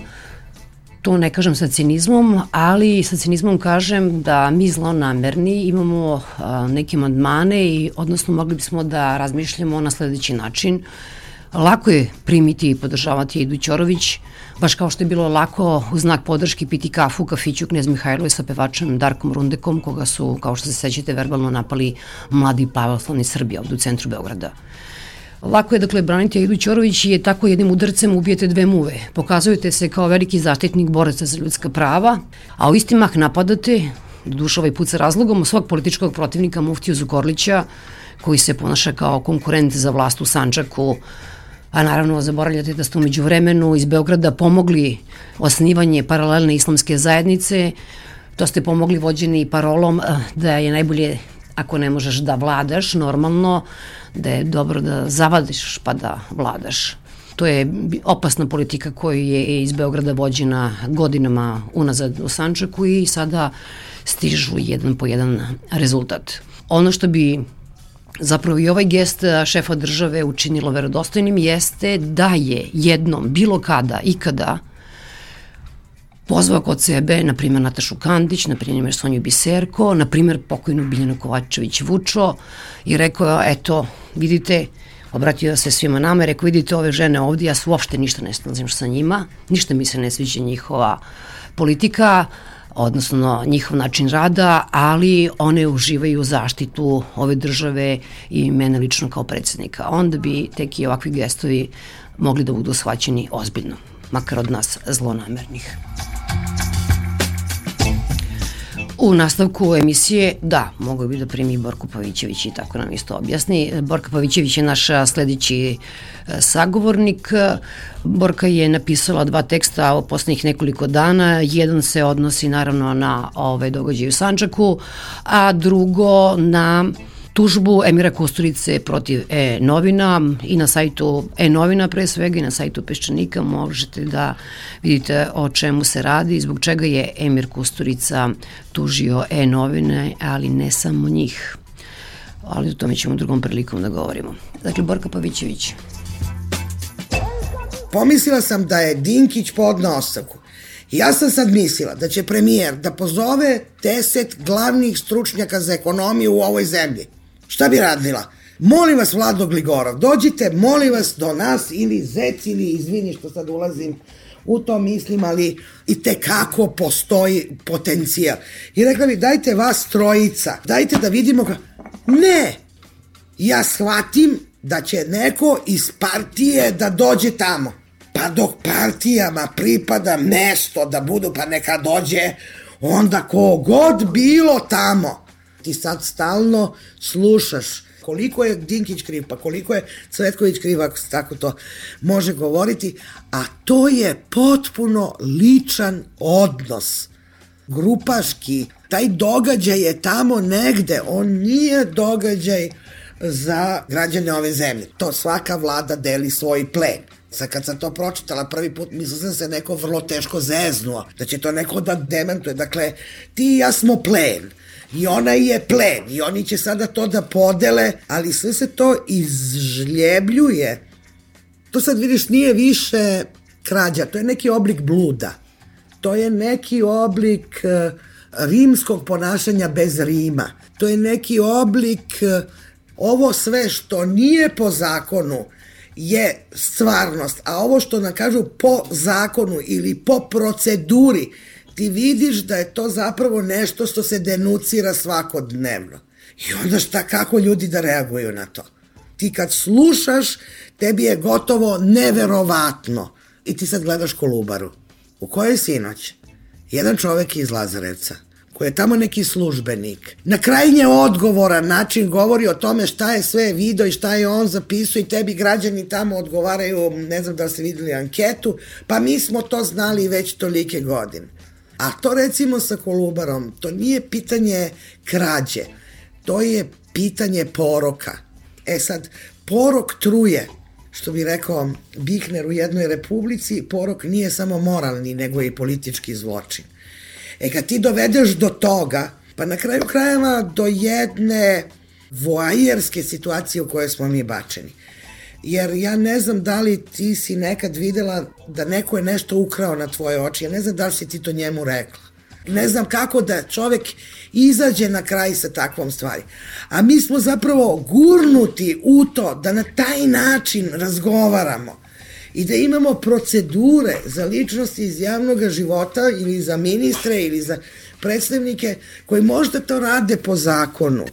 To ne kažem sa cinizmom, ali sa cinizmom kažem da mi zlonamerni imamo neke amandmane i odnosno mogli bismo da razmišljamo na sledeći način. Lako je primiti i podržavati Aidu Ćorović, baš kao što je bilo lako u znak podrške piti kafu u kafiću Knez Mihajlove sa pevačem Darkom Rundekom, koga su, kao što se sećate, verbalno napali mladi pravoslavni Srbi ovde u centru Beograda. Lako je, dakle, braniti Aidu Ćorović i je tako jednim udarcem ubijete 2 muve. Pokazujete se kao veliki zaštitnik boraca za ljudska prava, a u isti mah napadate, doduše ovaj put sa razlogom, svog političkog protivnika Muftiju Zukorlića, koji se ponaša kao konkurent za vlast u Sandžaku, a naravno zaboravljate da ste umeđu vremenu iz Beograda pomogli osnivanje paralelne islamske zajednice, to ste pomogli vođeni parolom da je najbolje ako ne možeš da vladaš normalno, da je dobro da zavadiš pa da vladaš. To je opasna politika koja je iz Beograda vođena godinama unazad u Sandžaku i sada stižu jedan po jedan rezultat. Ono što bi zapravo i ovaj gest šefa države učinilo verodostojnim jeste da je jednom, bilo kada, ikada pozvao kod sebe, na primjer, Natašu Kandić, na primjer, Sonju Biserko, na primjer, pokojnu Biljanu Kovačević-Vučo i rekao, eto, vidite, obratio se svima nama i rekao, vidite ove žene ovdje, ja se uopšte ništa ne slažem sa njima, ništa mi se ne sviđa njihova politika, odnosno njihov način rada, ali one uživaju zaštitu ove države i mene lično kao predsjednika. Onda bi tek i ovakvi gestovi mogli da budu shvaćeni ozbiljno, makar od nas zlonamernih. U nastavku emisije, da, mogu bi da primi Borko Pavićević i tako nam isto objasni. Borka Pavićević je naš sledeći sagovornik. Borka je napisala 2 teksta o poslednjih nekoliko dana. Jedan se odnosi naravno na ove događaje u Sandžaku, a drugo na tužbu Emira Kusturice protiv E-novina i na sajtu E-novina pre svega i na sajtu Peščanika možete da vidite o čemu se radi i zbog čega je Emir Kusturica tužio E-novine, ali ne samo njih. Ali o tome ćemo drugom prilikom da govorimo. Dakle, Borka Pavićević. Pomislila sam da je Dinkić podneo ostavku. Ja sam sad mislila da će premijer da pozove 10 glavnih stručnjaka za ekonomiju u ovoj zemlji. Šta bi radila? Molim vas, Vlado Gligorov, dođite, molim vas, do nas, ili Zec, ili izvini što sad ulazim u to mislim, ali i tekako postoji potencijal. I rekla bi, dajte vas trojica, dajte da vidimo Ne! Ja shvatim da će neko iz partije da dođe tamo. Pa dok partijama pripada mesto da budu, pa neka dođe onda kogod bilo tamo. Ti sad stalno slušaš koliko je Dinkić kriv, pa koliko je Cvetković kriv, ako se tako to može govoriti, a to je potpuno ličan odnos, grupaški. Taj događaj je tamo negde, on nije događaj za građane ove zemlje. To svaka vlada deli svoj plen. Sad kad sam to pročitala prvi put, mislila sam se neko vrlo teško zeznuo, da će to neko da demantuje. Dakle, ti i ja smo plen. I ona je plen. I oni će sada to da podele, ali sve se to izžljebljuje. To sad vidiš nije više krađa, to je neki oblik bluda. To je neki oblik rimskog ponašanja bez Rima. To je neki oblik, ovo sve što nije po zakonu je stvarnost, a ovo što nam kažu po zakonu ili po proceduri, ti vidiš da je to zapravo nešto što se denucira svakodnevno. I onda šta, kako ljudi da reaguju na to? Ti kad slušaš, tebi je gotovo neverovatno. I ti sad gledaš Kolubaru. U kojoj sinoć? Jedan čovek iz Lazarevca, koji je tamo neki službenik, na krajnje odgovoran način govori o tome šta je sve video i šta je on zapisao i tebi građani tamo odgovaraju, ne znam da li ste videli anketu, pa mi smo to znali već tolike godine. A to recimo sa Kolubarom, to nije pitanje krađe, to je pitanje poroka. E sad, porok truje, što bi rekao Bihner u jednoj republici, porok nije samo moralni, nego i politički zločin. E kad ti dovedeš do toga, pa na kraju krajeva do jedne voajerske situacije u kojoj smo mi bačeni. Jer ja ne znam da li ti si nekad videla da neko je nešto ukrao na tvoje oči, ja ne znam da li si ti to njemu rekla. Ne znam kako da čovek izađe na kraj sa takvom stvari. A mi smo zapravo gurnuti u to da na taj način razgovaramo i da imamo procedure za ličnosti iz javnog života ili za ministre ili za predstavnike koji možda to rade po zakonu,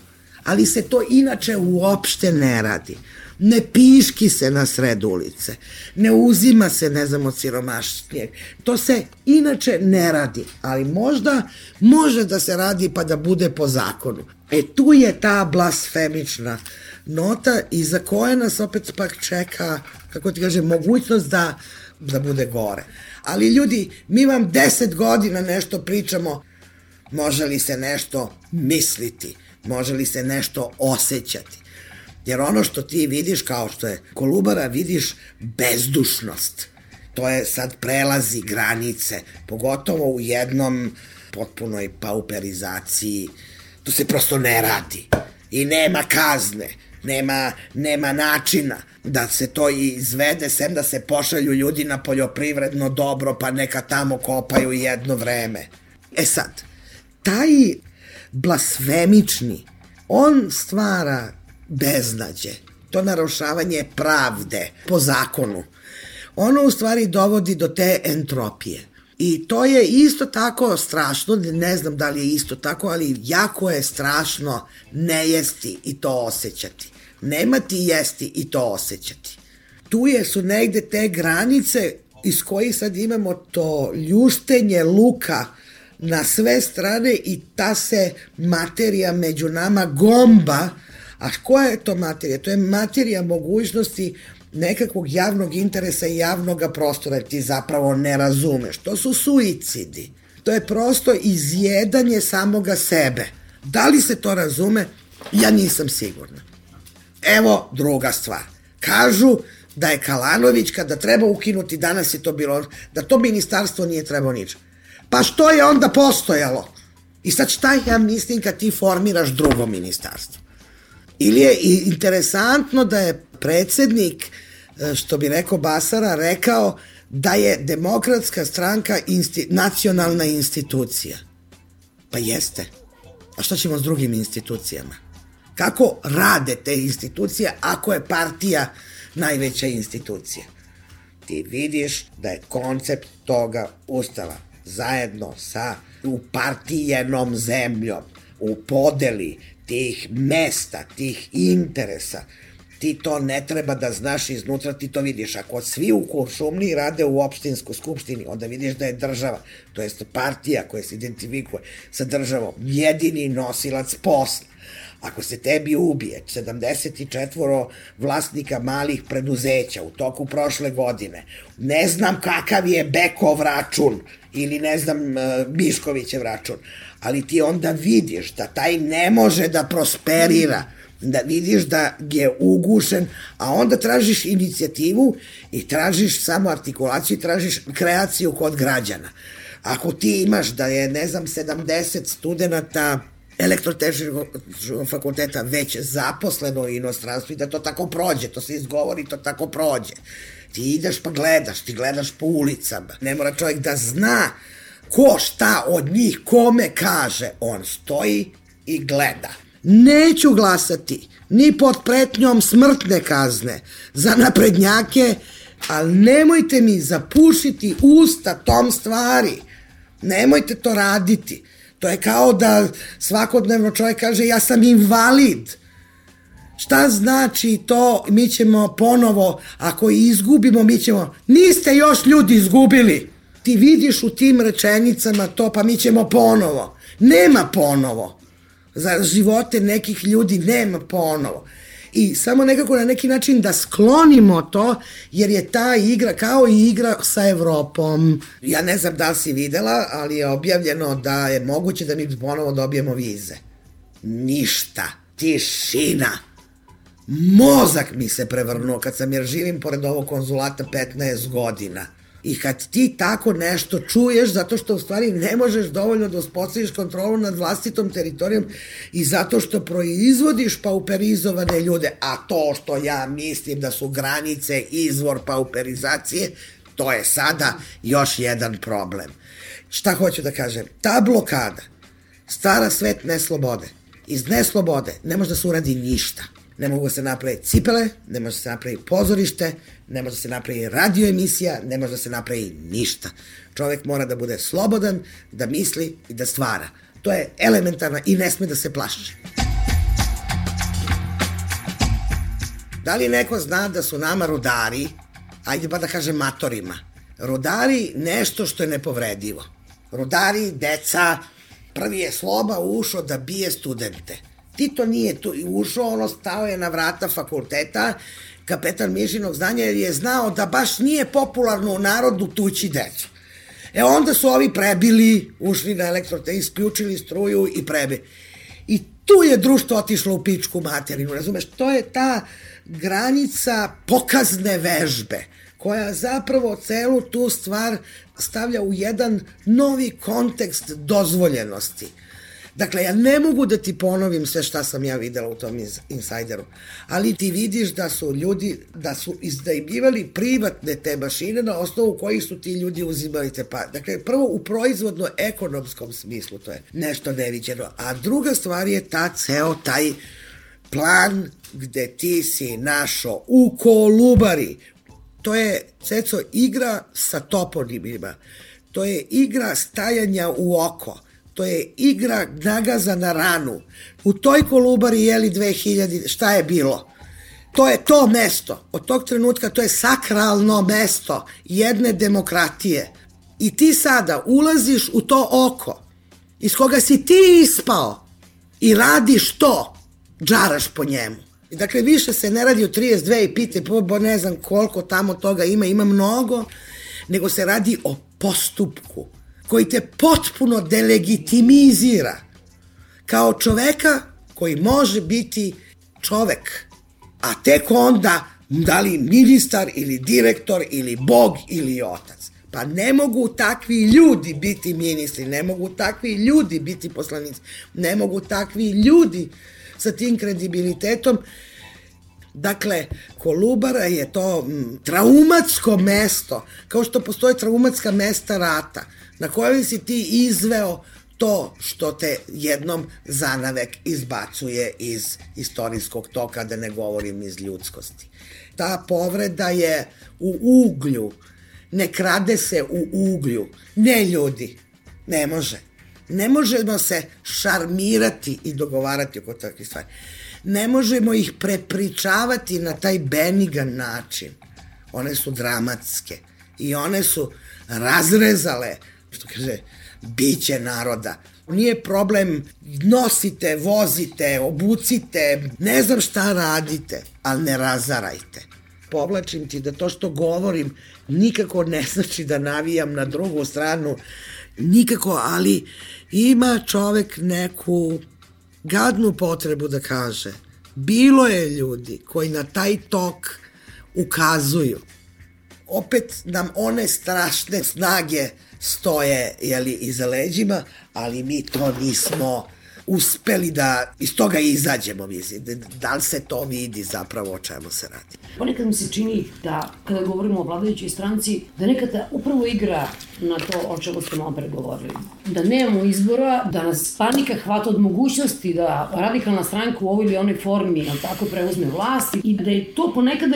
ali se to inače uopšte ne radi. Ne piški se na sred ulice, ne uzima se, ne znam, od siromašnijeg. To se inače ne radi, ali možda može da se radi pa da bude po zakonu. E tu je ta blasfemična nota iza koje nas opet pak čeka, kako ti kažem, mogućnost da bude gore. Ali ljudi, mi vam 10 godina nešto pričamo, može li se nešto misliti, može li se nešto osjećati. Jer ono što ti vidiš, kao što je Kolubara, vidiš bezdušnost. To je sad prelazi granice, pogotovo u jednom potpunoj pauperizaciji. To se prosto ne radi. I nema kazne, nema načina da se to izvede, sem da se pošalju ljudi na poljoprivredno dobro, pa neka tamo kopaju jedno vreme. E sad, taj blasfemični, on stvara beznađe, to narušavanje pravde po zakonu. Ono u stvari dovodi do te entropije. I to je isto tako strašno, ne znam da li je isto tako, ali jako je strašno ne jesti i to osjećati. Nemati jesti i to osjećati. Tu su negde te granice iz kojih sad imamo to ljuštenje luka na sve strane i ta se materija među nama gomba. A koja je to materija? To je materija mogućnosti nekakvog javnog interesa i javnog prostora, ti zapravo ne razumeš. To su suicidi. To je prosto izjedanje samoga sebe. Da li se to razume? Ja nisam sigurna. Evo druga stvar. Kažu da je Kalanović, kada treba ukinuti, danas je to bilo, da to ministarstvo nije trebao ničem. Pa što je onda postojalo? I sad šta ja mislim kad ti formiraš drugo ministarstvo? Ili je interesantno da je predsednik, što bi rekao Basara, rekao da je Demokratska stranka nacionalna institucija. Pa jeste. A što ćemo s drugim institucijama? Kako rade te institucije ako je partija najveća institucija? Ti vidiš da je koncept toga ustava zajedno sa upartijenom zemljom, u podeli tih mesta, tih interesa, ti to ne treba da znaš iznutra, ti to vidiš. Ako svi u Kuršumliji rade u opštinskoj skupštini, onda vidiš da je država, to jest partija koja se identifikuje sa državom, jedini nosilac posla. Ako se tebi ubije 74 vlasnika malih preduzeća u toku prošle godine, ne znam kakav je Bekov račun ili ne znam Miškovićev račun, ali ti onda vidiš da taj ne može da prosperira, da vidiš da je ugušen, a onda tražiš inicijativu i tražiš samo artikulaciju i tražiš kreaciju kod građana. Ako ti imaš da je, ne znam, 70 studenta elektrotehničkog fakulteta već zaposleno u inostranstvu i da to tako prođe, to se izgovori, to tako prođe. Ti ideš pa gledaš, ti gledaš po ulicama. Ne mora čovjek da zna ko šta od njih kome kaže. On stoji i gleda. Neću glasati ni pod pretnjom smrtne kazne za naprednjake, ali nemojte mi zapušiti usta tom stvari. Nemojte to raditi. To je kao da svakodnevno čovjek kaže ja sam invalid. Šta znači to? Mi ćemo ponovo, ako izgubimo, mi ćemo... Niste još ljudi izgubili. Ti vidiš u tim rečenicama to, pa mi ćemo ponovo. Nema ponovo. Za živote nekih ljudi nema ponovo. I samo nekako na neki način da sklonimo to, jer je ta igra kao i igra sa Evropom. Ja ne znam da li si videla, ali je objavljeno da je moguće da mi ponovo dobijemo vize. Ništa. Tišina. Mozak mi se prevrnuo kad sam, jer živim pored ovog konzulata 15 godina. I kad ti tako nešto čuješ, zato što u stvari ne možeš dovoljno da uspostaviš kontrolu nad vlastitom teritorijom i zato što proizvodiš pauperizovane ljude, a to što ja mislim da su granice izvor pauperizacije, to je sada još jedan problem. Šta hoću da kažem? Ta blokada stvara svet neslobode. Iz neslobode ne može da se uradi ništa. Ne mogu da se napravi cipele, ne može da se napravi pozorište, ne može da se napravi radioemisija, ne može da se napravi ništa. Čovek mora da bude slobodan, da misli i da stvara. To je elementarno i ne sme da se plaši. Da li neko zna da su nama rudari, ajde pa da kažem matorima, rudari nešto što je nepovredivo. Rudari, deca, prvi je Sloba ušao da bije studente. Tito nije tu ušao, ono stao je na vrata fakulteta, kapetan Mišinog znanja, jer je znao da baš nije popularno u narodu tući decu. Onda su ovi prebili, ušli na elektrote, isključili struju i prebili. I tu je društvo otišlo u pičku materinu, razumeš? To je ta granica pokazne vežbe, koja zapravo celu tu stvar stavlja u jedan novi kontekst dozvoljenosti. Dakle, ja ne mogu da ti ponovim sve šta sam ja videla u tom insajderu, ali ti vidiš da su ljudi, da su iznajmljivali privatne te mašine na osnovu kojih su ti ljudi uzimali te pare. Dakle, prvo u proizvodno-ekonomskom smislu to je nešto neviđeno, a druga stvar je ceo taj plan gde ti si našao u Kolubari. To je, Ceco, igra sa toponimima, to je igra stajanja u oko. To je igra nagaza na ranu. U toj Kolubari jeli 2000, šta je bilo? To je to mesto. Od tog trenutka to je sakralno mesto jedne demokratije. I ti sada ulaziš u to oko iz koga si ti ispao i radiš to, džaraš po njemu. I dakle, više se ne radi o 32 i pite, ne znam koliko tamo toga ima mnogo, nego se radi o postupku koji te potpuno delegitimizira kao čoveka koji može biti čovek, a tek onda da li ministar ili direktor ili bog ili otac. Pa ne mogu takvi ljudi biti ministri, ne mogu takvi ljudi biti poslanici, ne mogu takvi ljudi sa tim kredibilitetom. Dakle, Kolubara je to traumatsko mesto, kao što postoje traumatska mesta rata, na kojem si ti izveo to što te jednom zanavek izbacuje iz istorijskog toka, da ne govorim iz ljudskosti. Ta povreda je u uglju, ne krade se u uglju. Ne, ljudi, ne može. Ne možemo se šarmirati i dogovarati oko takvih stvari. Ne možemo ih prepričavati na taj benigan način. One su dramatske i one su razrezale, što kaže, biće naroda. Nije problem, nosite, vozite, obucite, ne znam šta radite, ali ne razarajte. Povlačim ti da to što govorim nikako ne znači da navijam na drugu stranu, nikako, ali ima čovek neku gadnu potrebu da kaže. Bilo je ljudi koji na taj tok ukazuju. Opet nam one strašne snage stoje, iza leđima, ali mi to nismo uspeli da iz toga izađemo, mislim. Da li se to vidi zapravo o čemu se radi? Ponekad mi se čini da, kada govorimo o vladajućoj stranci, da nekada upravo igra na to o čemu ste malo pregovorili. Da nemamo izbora, da nas panika hvata od mogućnosti da radikalna stranka u ovoj ili onoj formi tako preuzme vlast i da je to ponekada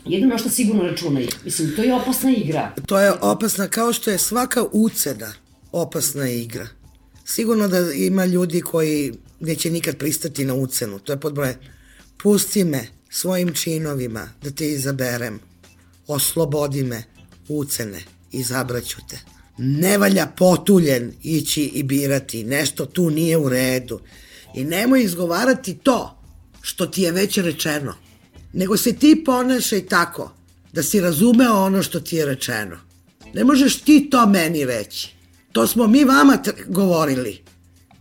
jedino na što sigurno računaju. Mislim, to je opasna igra. To je opasna, kao što je svaka ucena opasna igra. Sigurno da ima ljudi koji neće nikad pristati na ucenu. To je podbroje. Pusti me svojim činovima da te izaberem. Oslobodi me ucene. Izabraću te. Ne valja potuljen ići i birati. Nešto tu nije u redu. I nemoj izgovarati to što ti je već rečeno. Nego se ti ponašaj tako da si razumeo ono što ti je rečeno. Ne možeš ti to meni reći. To smo mi vama govorili.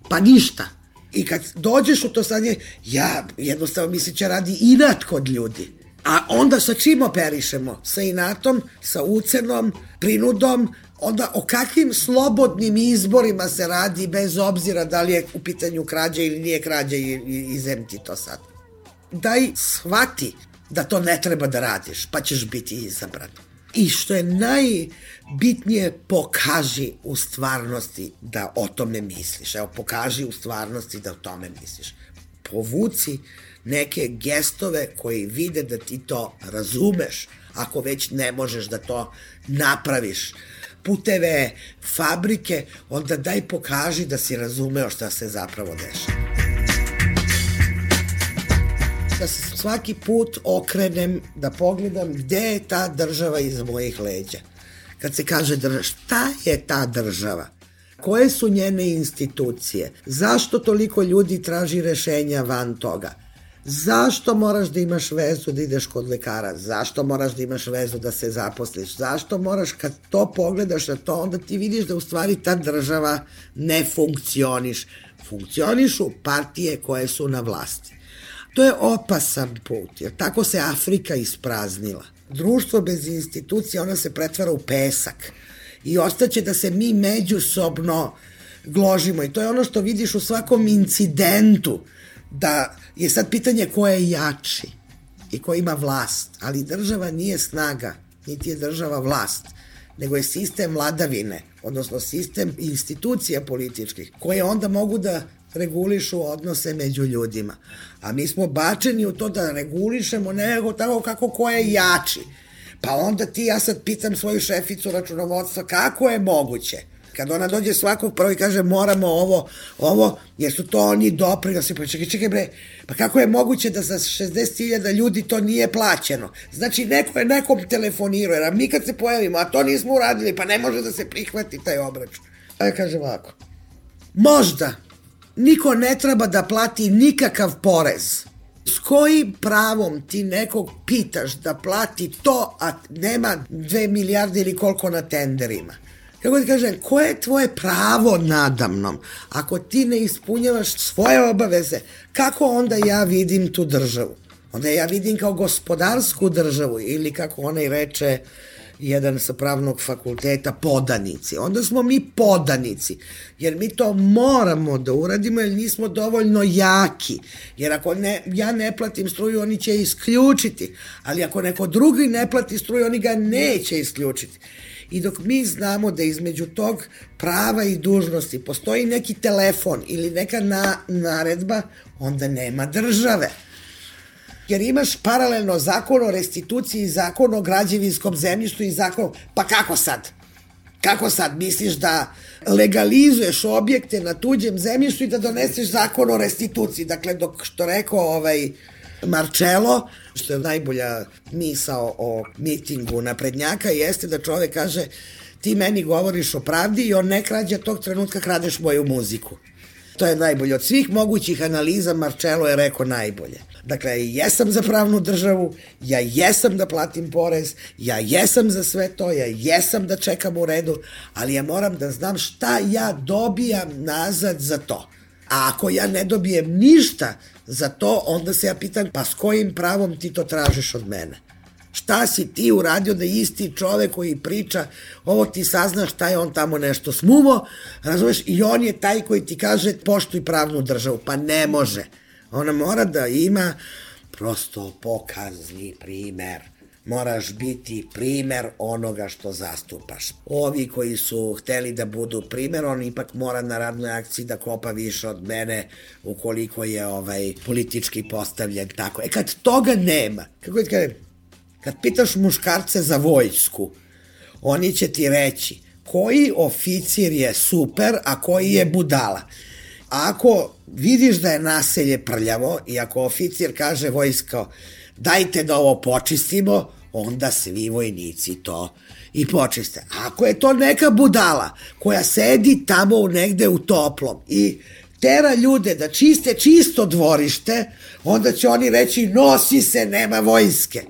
Pa ništa. I kad dođeš u to stanje, ja jednostavno mislim će radi inat kod ljudi. A onda sa čim operišemo? Sa inatom, sa ucenom, prinudom, onda o kakvim slobodnim izborima se radi bez obzira da li je u pitanju krađa ili nije krađa i zemti to sad. Daj shvati da to ne treba da radiš, pa ćeš biti izabran. I što je najbitnije, pokaži u stvarnosti da o tome misliš. Evo, pokaži u stvarnosti da o tome misliš. Povuci neke gestove koji vide da ti to razumeš, ako već ne možeš da to napraviš. Puteve, fabrike, onda daj pokaži da si razumeo šta se zapravo dešava. Da se svaki put okrenem, da pogledam gde je ta država iza mojih leđa. Kad se kaže država, šta je ta država? Koje su njene institucije? Zašto toliko ljudi traži rešenja van toga? Zašto moraš da imaš vezu da ideš kod lekara? Zašto moraš da imaš vezu da se zaposliš? Zašto moraš, kad to pogledaš na to, onda ti vidiš da u stvari ta država ne funkcioniš. Funkcionišu partije koje su na vlasti. To je opasan put, jer tako se Afrika ispraznila. Društvo bez institucija, ona se pretvara u pesak i ostaće da se mi međusobno gložimo. I to je ono što vidiš u svakom incidentu, da je sad pitanje ko je jači i ko ima vlast. Ali država nije snaga, niti je država vlast, nego je sistem vladavine, odnosno sistem institucija političkih, koje onda mogu da regulišu odnose među ljudima. A mi smo bačeni u to da regulišemo nego tako kako ko je jači. Pa onda ja sad pitam svoju šeficu računovodstva kako je moguće. Kad ona dođe svakog prvo i kaže moramo ovo, jer su to oni doprinosi. Pa čekaj bre, pa kako je moguće da za 60.000 ljudi to nije plaćeno? Znači neko je nekom telefonirao, jer mi kad se pojavimo, a to nismo uradili, pa ne može da se prihvati taj obračun. A ja kažem ovako, možda niko ne treba da plati nikakav porez. S kojim pravom ti nekog pitaš da plati to, a nema 2 milijarde ili koliko na tenderima? Kako ti kažem, koje je tvoje pravo nadamnom? Ako ti ne ispunjavaš svoje obaveze, kako onda ja vidim tu državu? Onda ja vidim kao gospodarsku državu ili kako onaj reče jedan sa pravnog fakulteta, podanici. Onda smo mi podanici, jer mi to moramo da uradimo jer nismo dovoljno jaki. Jer ako ja ne platim struju, oni će isključiti. Ali ako neko drugi ne plati struju, oni ga neće isključiti. I dok mi znamo da između tog prava i dužnosti postoji neki telefon ili neka naredba, onda nema države. Jer imaš paralelno zakon o restituciji, zakon o građevinskom zemljištu i zakon... Pa kako sad? Kako sad misliš da legalizuješ objekte na tuđem zemljištu i da doneseš zakon o restituciji? Dakle, dok što rekao Marcello, što je najbolja misao o mitingu naprednjaka, jeste da čovek kaže ti meni govoriš o pravdi i on ne krađa, tog trenutka kradeš moju muziku. To je najbolje. Od svih mogućih analiza Marcello je rekao najbolje. Dakle, ja jesam za pravnu državu, ja jesam da platim porez, ja jesam za sve to, ja jesam da čekam u redu, ali ja moram da znam šta ja dobijam nazad za to. A ako ja ne dobijem ništa za to, onda se ja pitam, pa s kojim pravom ti to tražiš od mene? Šta si ti uradio da isti čovek koji priča, ovo ti saznaš šta je on tamo nešto smuvo, razumeš, i on je taj koji ti kaže poštuj pravnu državu. Pa ne može. Ona mora da ima prosto pokazni primer. Moraš biti primer onoga što zastupaš. Ovi koji su hteli da budu primer, on ipak mora na radnoj akciji da kopa više od mene ukoliko je politički postavljen tako. Kad toga nema, kako ti kažem, kad pitaš muškarce za vojsku, oni će ti reći koji oficir je super, a koji je budala. Ako vidiš da je naselje prljavo i ako oficir kaže vojsko dajte da ovo počistimo, onda svi vojnici to i počiste. Ako je to neka budala koja sedi tamo negde u toplom i tera ljude da čiste čisto dvorište, onda će oni reći nosi se, nema vojske.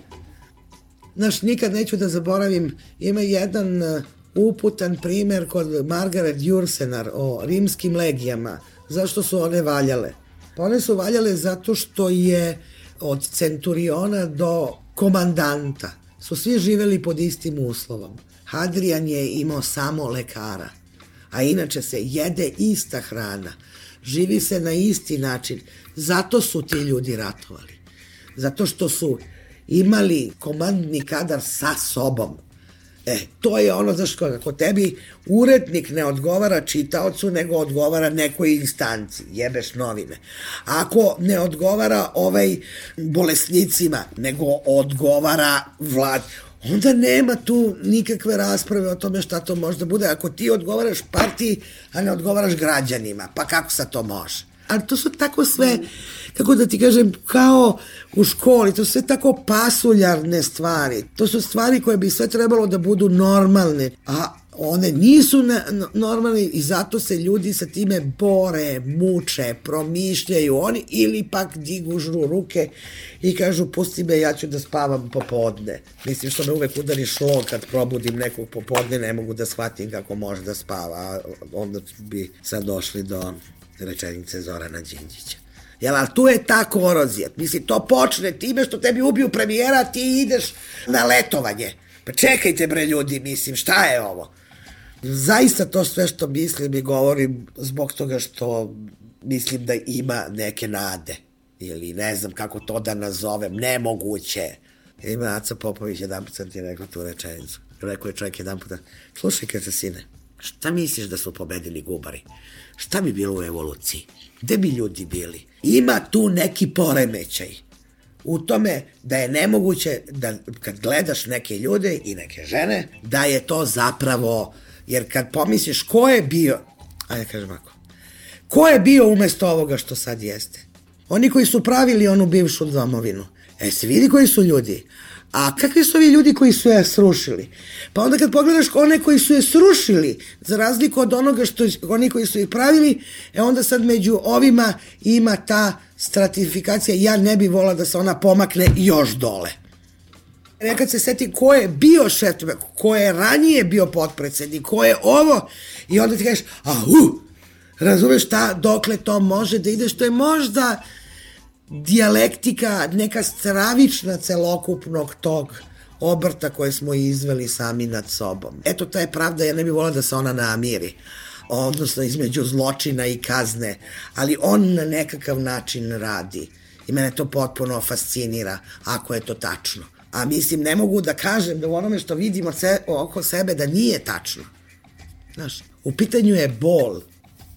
Znaš, nikad neću da zaboravim, ima jedan uputan primer kod Margaret Jursenar o rimskim legijama. Zašto su one valjale? Pa one su valjale zato što je od centuriona do komandanta su svi živeli pod istim uslovom. Hadrian je imao samo lekara, a inače se jede ista hrana, živi se na isti način. Zato su ti ljudi ratovali. Zato što su imali komandni kadar sa sobom. To je ono, znaš, ako tebi urednik ne odgovara čitaocu, nego odgovara nekoj instanci, jebeš novine. Ako ne odgovara bolesnicima, nego odgovara vlad, onda nema tu nikakve rasprave o tome šta to može da bude. Ako ti odgovaraš partiji, a ne odgovaraš građanima, pa kako sad to može? Ali to su tako sve, kako da ti kažem, kao u školi, to su sve tako pasuljarne stvari. To su stvari koje bi sve trebalo da budu normalne, a one nisu normalne i zato se ljudi sa time bore, muče, promišljaju oni ili pak digužu ruke i kažu pusti me, ja ću da spavam popodne. Mislim što me uvek udari šlog kad probudim nekog popodne, ne mogu da shvatim kako može da spava, a onda bi sad došli do rečenice Zorana Đinđića. Ali tu je ta korozija. Mislim, to počne time što tebi ubiju premijera, a ti ideš na letovanje. Pa čekajte bre ljudi, mislim, šta je ovo? Zaista to sve što mislim i govorim zbog toga što mislim da ima neke nade. Ili ne znam kako to da nazovem, nemoguće. Ima Aca Popović, jedan put sam ti rekao tu rečenicu. Rekao je čovjek jedan puta, slušaj kaže sine, šta misliš da su pobedili Gubari? Šta bi bilo u evoluciji? Gde bi ljudi bili? Ima tu neki poremećaj u tome da je nemoguće da kad gledaš neke ljude i neke žene, da je to zapravo, jer kad pomisliš ko je bio, ajde kažem ako, ko je bio umesto ovoga što sad jeste? Oni koji su pravili onu bivšu domovinu. Se vidi koji su ljudi. A kakvi su ovi ljudi koji su je srušili? Pa onda kad pogledaš one koji su je srušili, za razliku od onoga što oni koji su ih pravili, onda sad među ovima ima ta stratifikacija, ja ne bi volila da se ona pomakne još dole. Nekad se seti ko je bio šef, ko je ranije bio potpredsednik, ko je ovo, i onda ti kažeš, razumeš dokle to može da ide, što je možda dijalektika, neka stravična celokupnog tog obrta koje smo izveli sami nad sobom. Eto, ta je pravda, ja ne bih volila da se ona namiri, odnosno između zločina i kazne, ali on na nekakav način radi i mene to potpuno fascinira, ako je to tačno. A mislim, ne mogu da kažem da u onome što vidimo oko sebe da nije tačno. Znaš, u pitanju je bol,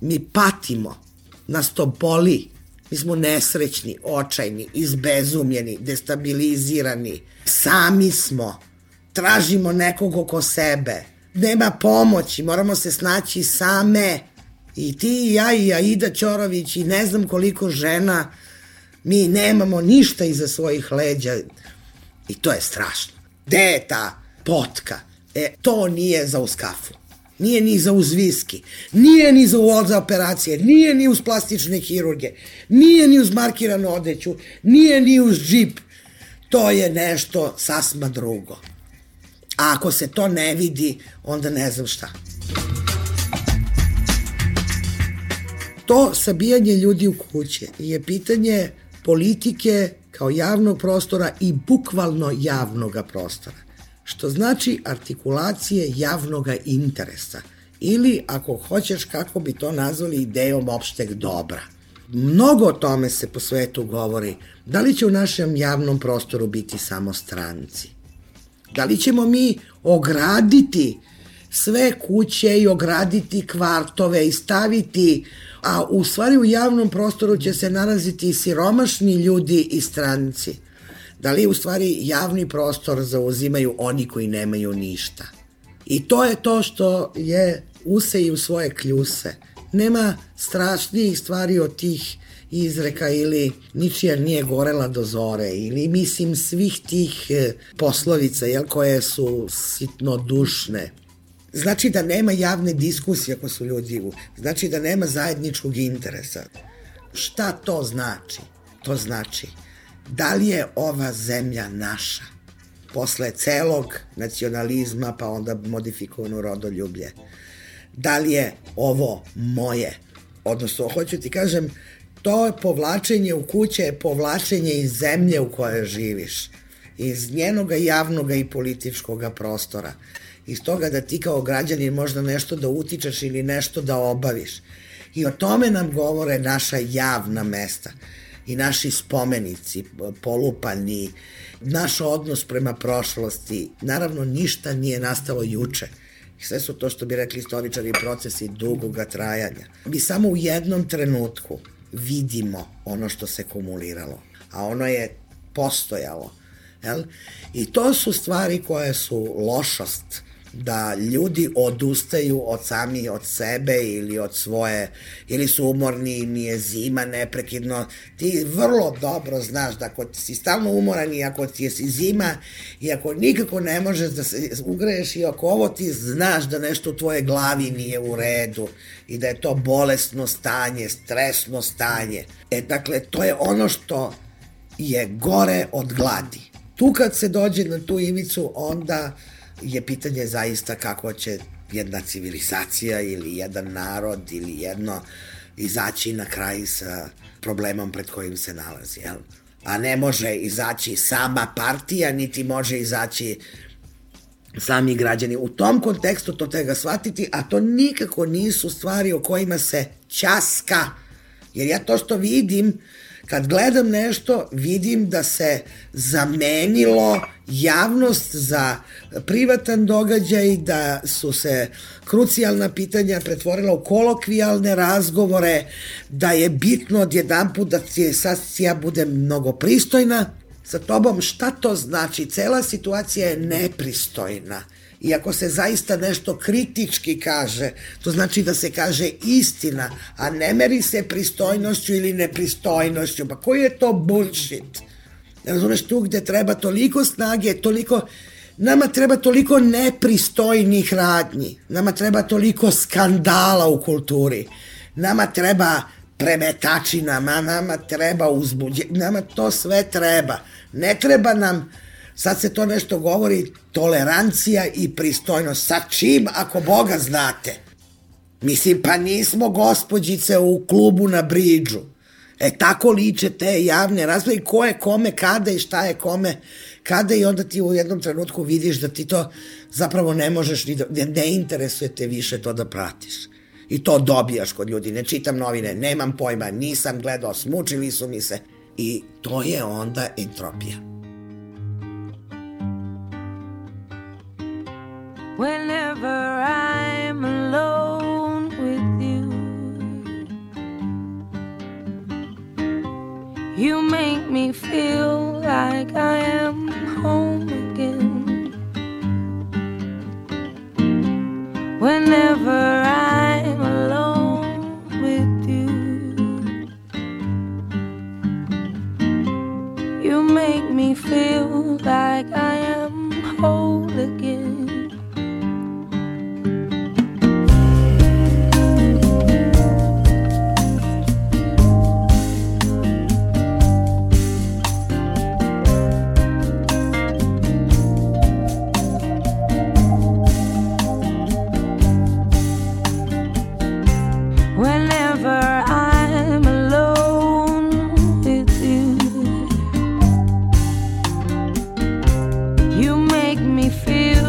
mi patimo, nas to boli, mi smo nesrećni, očajni, izbezumljeni, destabilizirani, sami smo, tražimo nekog oko sebe, nema pomoći, moramo se snaći same. I ti i ja i Aida Ćorović i ne znam koliko žena, mi nemamo ništa iza svojih leđa i to je strašno. Gde je ta potka? To nije za uz kafu. Nije ni za uz viski, nije ni za operacije, nije ni uz plastične hirurge, nije ni uz markiranu odeću, nije ni uz džip. To je nešto sasma drugo. A ako se to ne vidi, onda ne znam šta. To sabijanje ljudi u kuće je pitanje politike kao javnog prostora i bukvalno javnog prostora, što znači artikulacije javnog interesa ili, ako hoćeš, kako bi to nazvali, idejom opšteg dobra. Mnogo o tome se po svetu govori. Da li će u našem javnom prostoru biti samo stranci? Da li ćemo mi ograditi sve kuće i ograditi kvartove i staviti, a u stvari u javnom prostoru će se nalaziti i siromašni ljudi i stranci? Da li u stvari javni prostor zauzimaju oni koji nemaju ništa? I to je to što je useji u svoje kljuse. Nema strašnijih stvari od tih izreka ili ničija nije gorela do zore ili mislim svih tih poslovica koje su sitno dušne. Znači da nema javne diskusije ako su ljudi znači da nema zajedničkog interesa. Šta to znači? To znači da li je ova zemlja naša posle celog nacionalizma pa onda modifikovano rodoljublje? Da li je ovo moje? Odnosno, hoću ti kažem, to povlačenje u kuće je povlačenje iz zemlje u kojoj živiš, iz njenoga javnoga i političkoga prostora, iz toga da ti kao građanin možda nešto da utičeš ili nešto da obaviš. I o tome nam govore naša javna mesta i naši spomenici, polupani, naš odnos prema prošlosti. Naravno, ništa nije nastalo juče. Sve su to, što bi rekli istoričari, procesi dugoga trajanja. Mi samo u jednom trenutku vidimo ono što se kumuliralo, a ono je postojalo. I to su stvari koje su lošost, da ljudi odustaju sami od sebe ili od svoje, ili su umorni, im je zima neprekidno. Ti vrlo dobro znaš da ako si stalno umoran i ako ti je zima i ako nikako ne možeš da se ugreješ i ako ovo ti znaš da nešto u tvojoj glavi nije u redu i da je to bolesno stanje, stresno stanje. Dakle, to je ono što je gore od gladi. Tu kad se dođe na tu ivicu, onda je pitanje zaista kako će jedna civilizacija ili jedan narod ili jedno izaći na kraj sa problemom pred kojim se nalazi. A ne može izaći sama partija, niti može izaći sami građani. U tom kontekstu to treba shvatiti, a to nikako nisu stvari o kojima se ćaska. Jer ja to što vidim, kad gledam nešto, vidim da se zamenilo javnost za privatan događaj, da su se krucijalna pitanja pretvorila u kolokvijalne razgovore, da je bitno odjedanput da ja budem mnogo pristojna sa tobom. Šta to znači? Cela situacija je nepristojna. I ako se zaista nešto kritički kaže, to znači da se kaže istina, a ne meri se pristojnošću ili nepristojnošću. Pa koji je to bullshit? Razumeš, tu gde treba toliko snage, nama treba toliko nepristojnih radnji, nama treba toliko skandala u kulturi, nama treba premetačina, nama treba nama to sve treba. Ne treba nam, sad se to nešto govori, tolerancija i pristojnost. Sa čim, ako Boga znate? Mislim, pa nismo gospođice u klubu na Bridžu. Tako liče te javne rasprave i ko je kome, kada i šta je kome, kada i onda ti u jednom trenutku vidiš da ti to zapravo ne možeš, ne interesuje te više to da pratiš. I to dobijaš kod ljudi. Ne čitam novine, nemam pojma, nisam gledao, smučili su mi se. I to je onda entropija. Whenever I'm alone with you, you make me feel like I am home again. Whenever I'm alone with you, you make me feel like I am whole again. Feel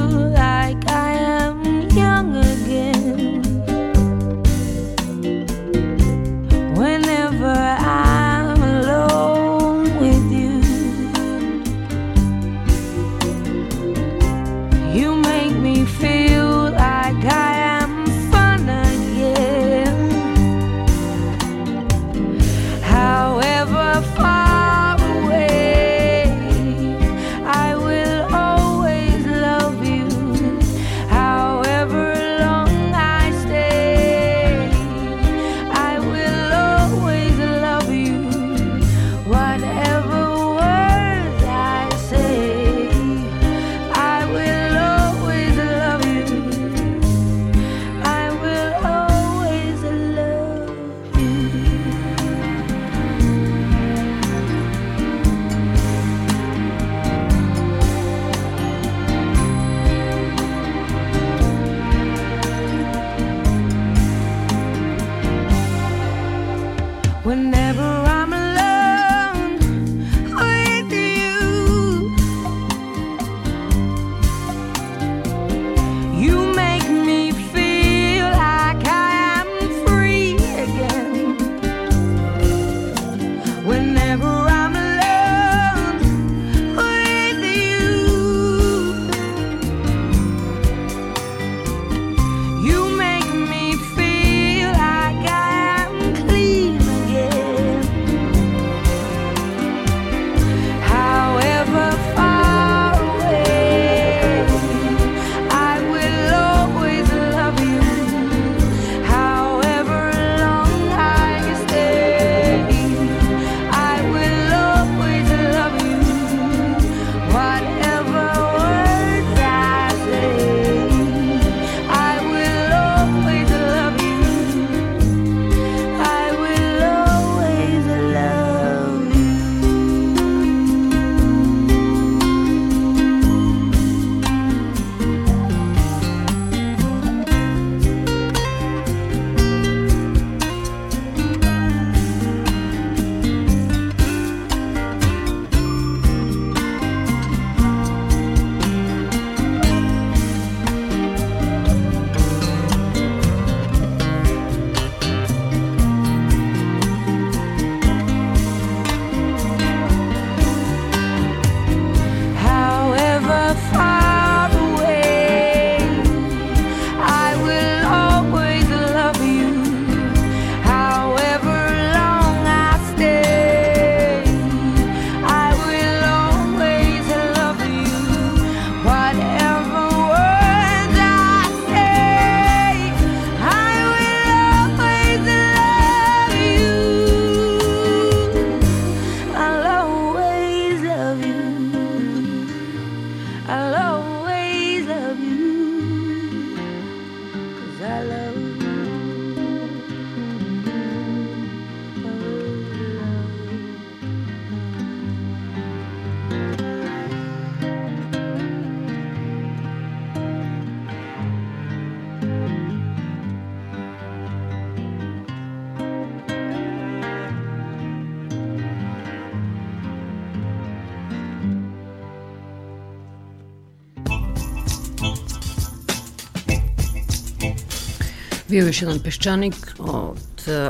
Bio je još jedan Peščanik. Od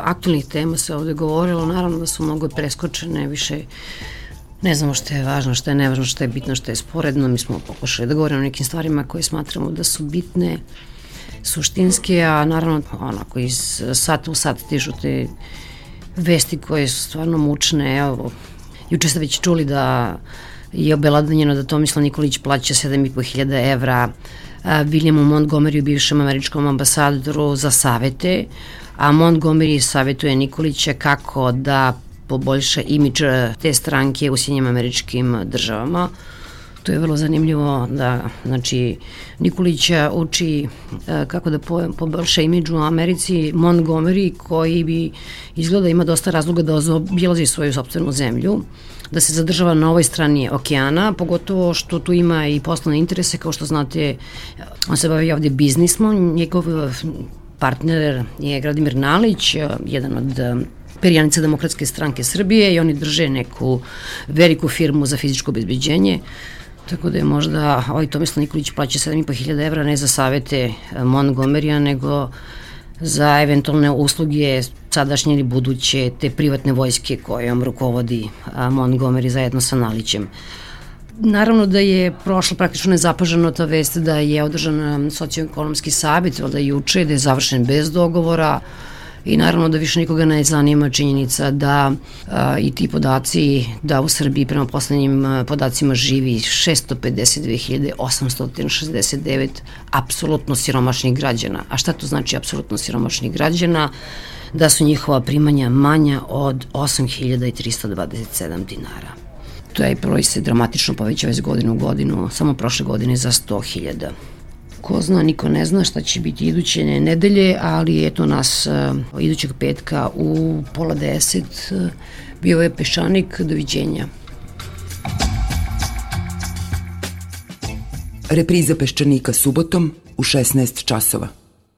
aktualnih tema se ovde govorilo, naravno da su mnogo preskočene, više ne znamo šta je važno, šta je nevažno, šta je bitno, šta je sporedno. Mi smo pokušali da govorimo o nekim stvarima koje smatramo da su bitne, suštinske, a naravno onako iz sata u sat stižu te vesti koje su stvarno mučne. Evo, juče ste već čuli da je obelodanjeno da Tomislav Nikolić plaća 7.500 evra Williamu Montgomeryu, bivšem američkom ambasadoru, za savete, a Montgomery savetuje Nikolića kako da poboljša imidž te stranke u Sjedinjenim Američkim Državama. To je vrlo zanimljivo da, znači, Nikolića uči kako da poboljša imidž u Americi Montgomery, koji bi izgleda ima dosta razloga da obilazi svoju sopstvenu zemlju, da se zadržava na ovoj strani okeana, pogotovo što tu ima i poslovne interese, kao što znate, on se bavi ovde biznismom, njegov partner je Gradimir Nalić, jedan od perjanica Demokratske stranke Srbije, i oni drže neku veliku firmu za fizičko obezbeđenje, tako da je možda ovaj Tomislav Nikolić plaća 7.500 evra ne za savete Montgomerya, nego za eventualne usluge sadašnje ili buduće te privatne vojske kojom rukovodi Montgomery zajedno sa Nalićem. Naravno da je prošlo praktično nezapaženo ta vest da je održan socioekonomski savjet od juče, da je završen bez dogovora, i naravno da više nikoga ne zanima činjenica da i ti podaci, da u Srbiji prema poslednjim podacima živi 652.869 apsolutno siromašnih građana. A šta to znači apsolutno siromašnih građana? Da su njihova primanja manja od 8.327 dinara. Taj broj se dramatično povećava iz godine u godinu, samo prošle godine za 100.000. Ko zna, niko ne zna šta će biti iduće nedelje, ali eto nas idućeg petka u 9:30 bio je Peščanik. Doviđenja. Repriza Peščanika subotom u 16 časova.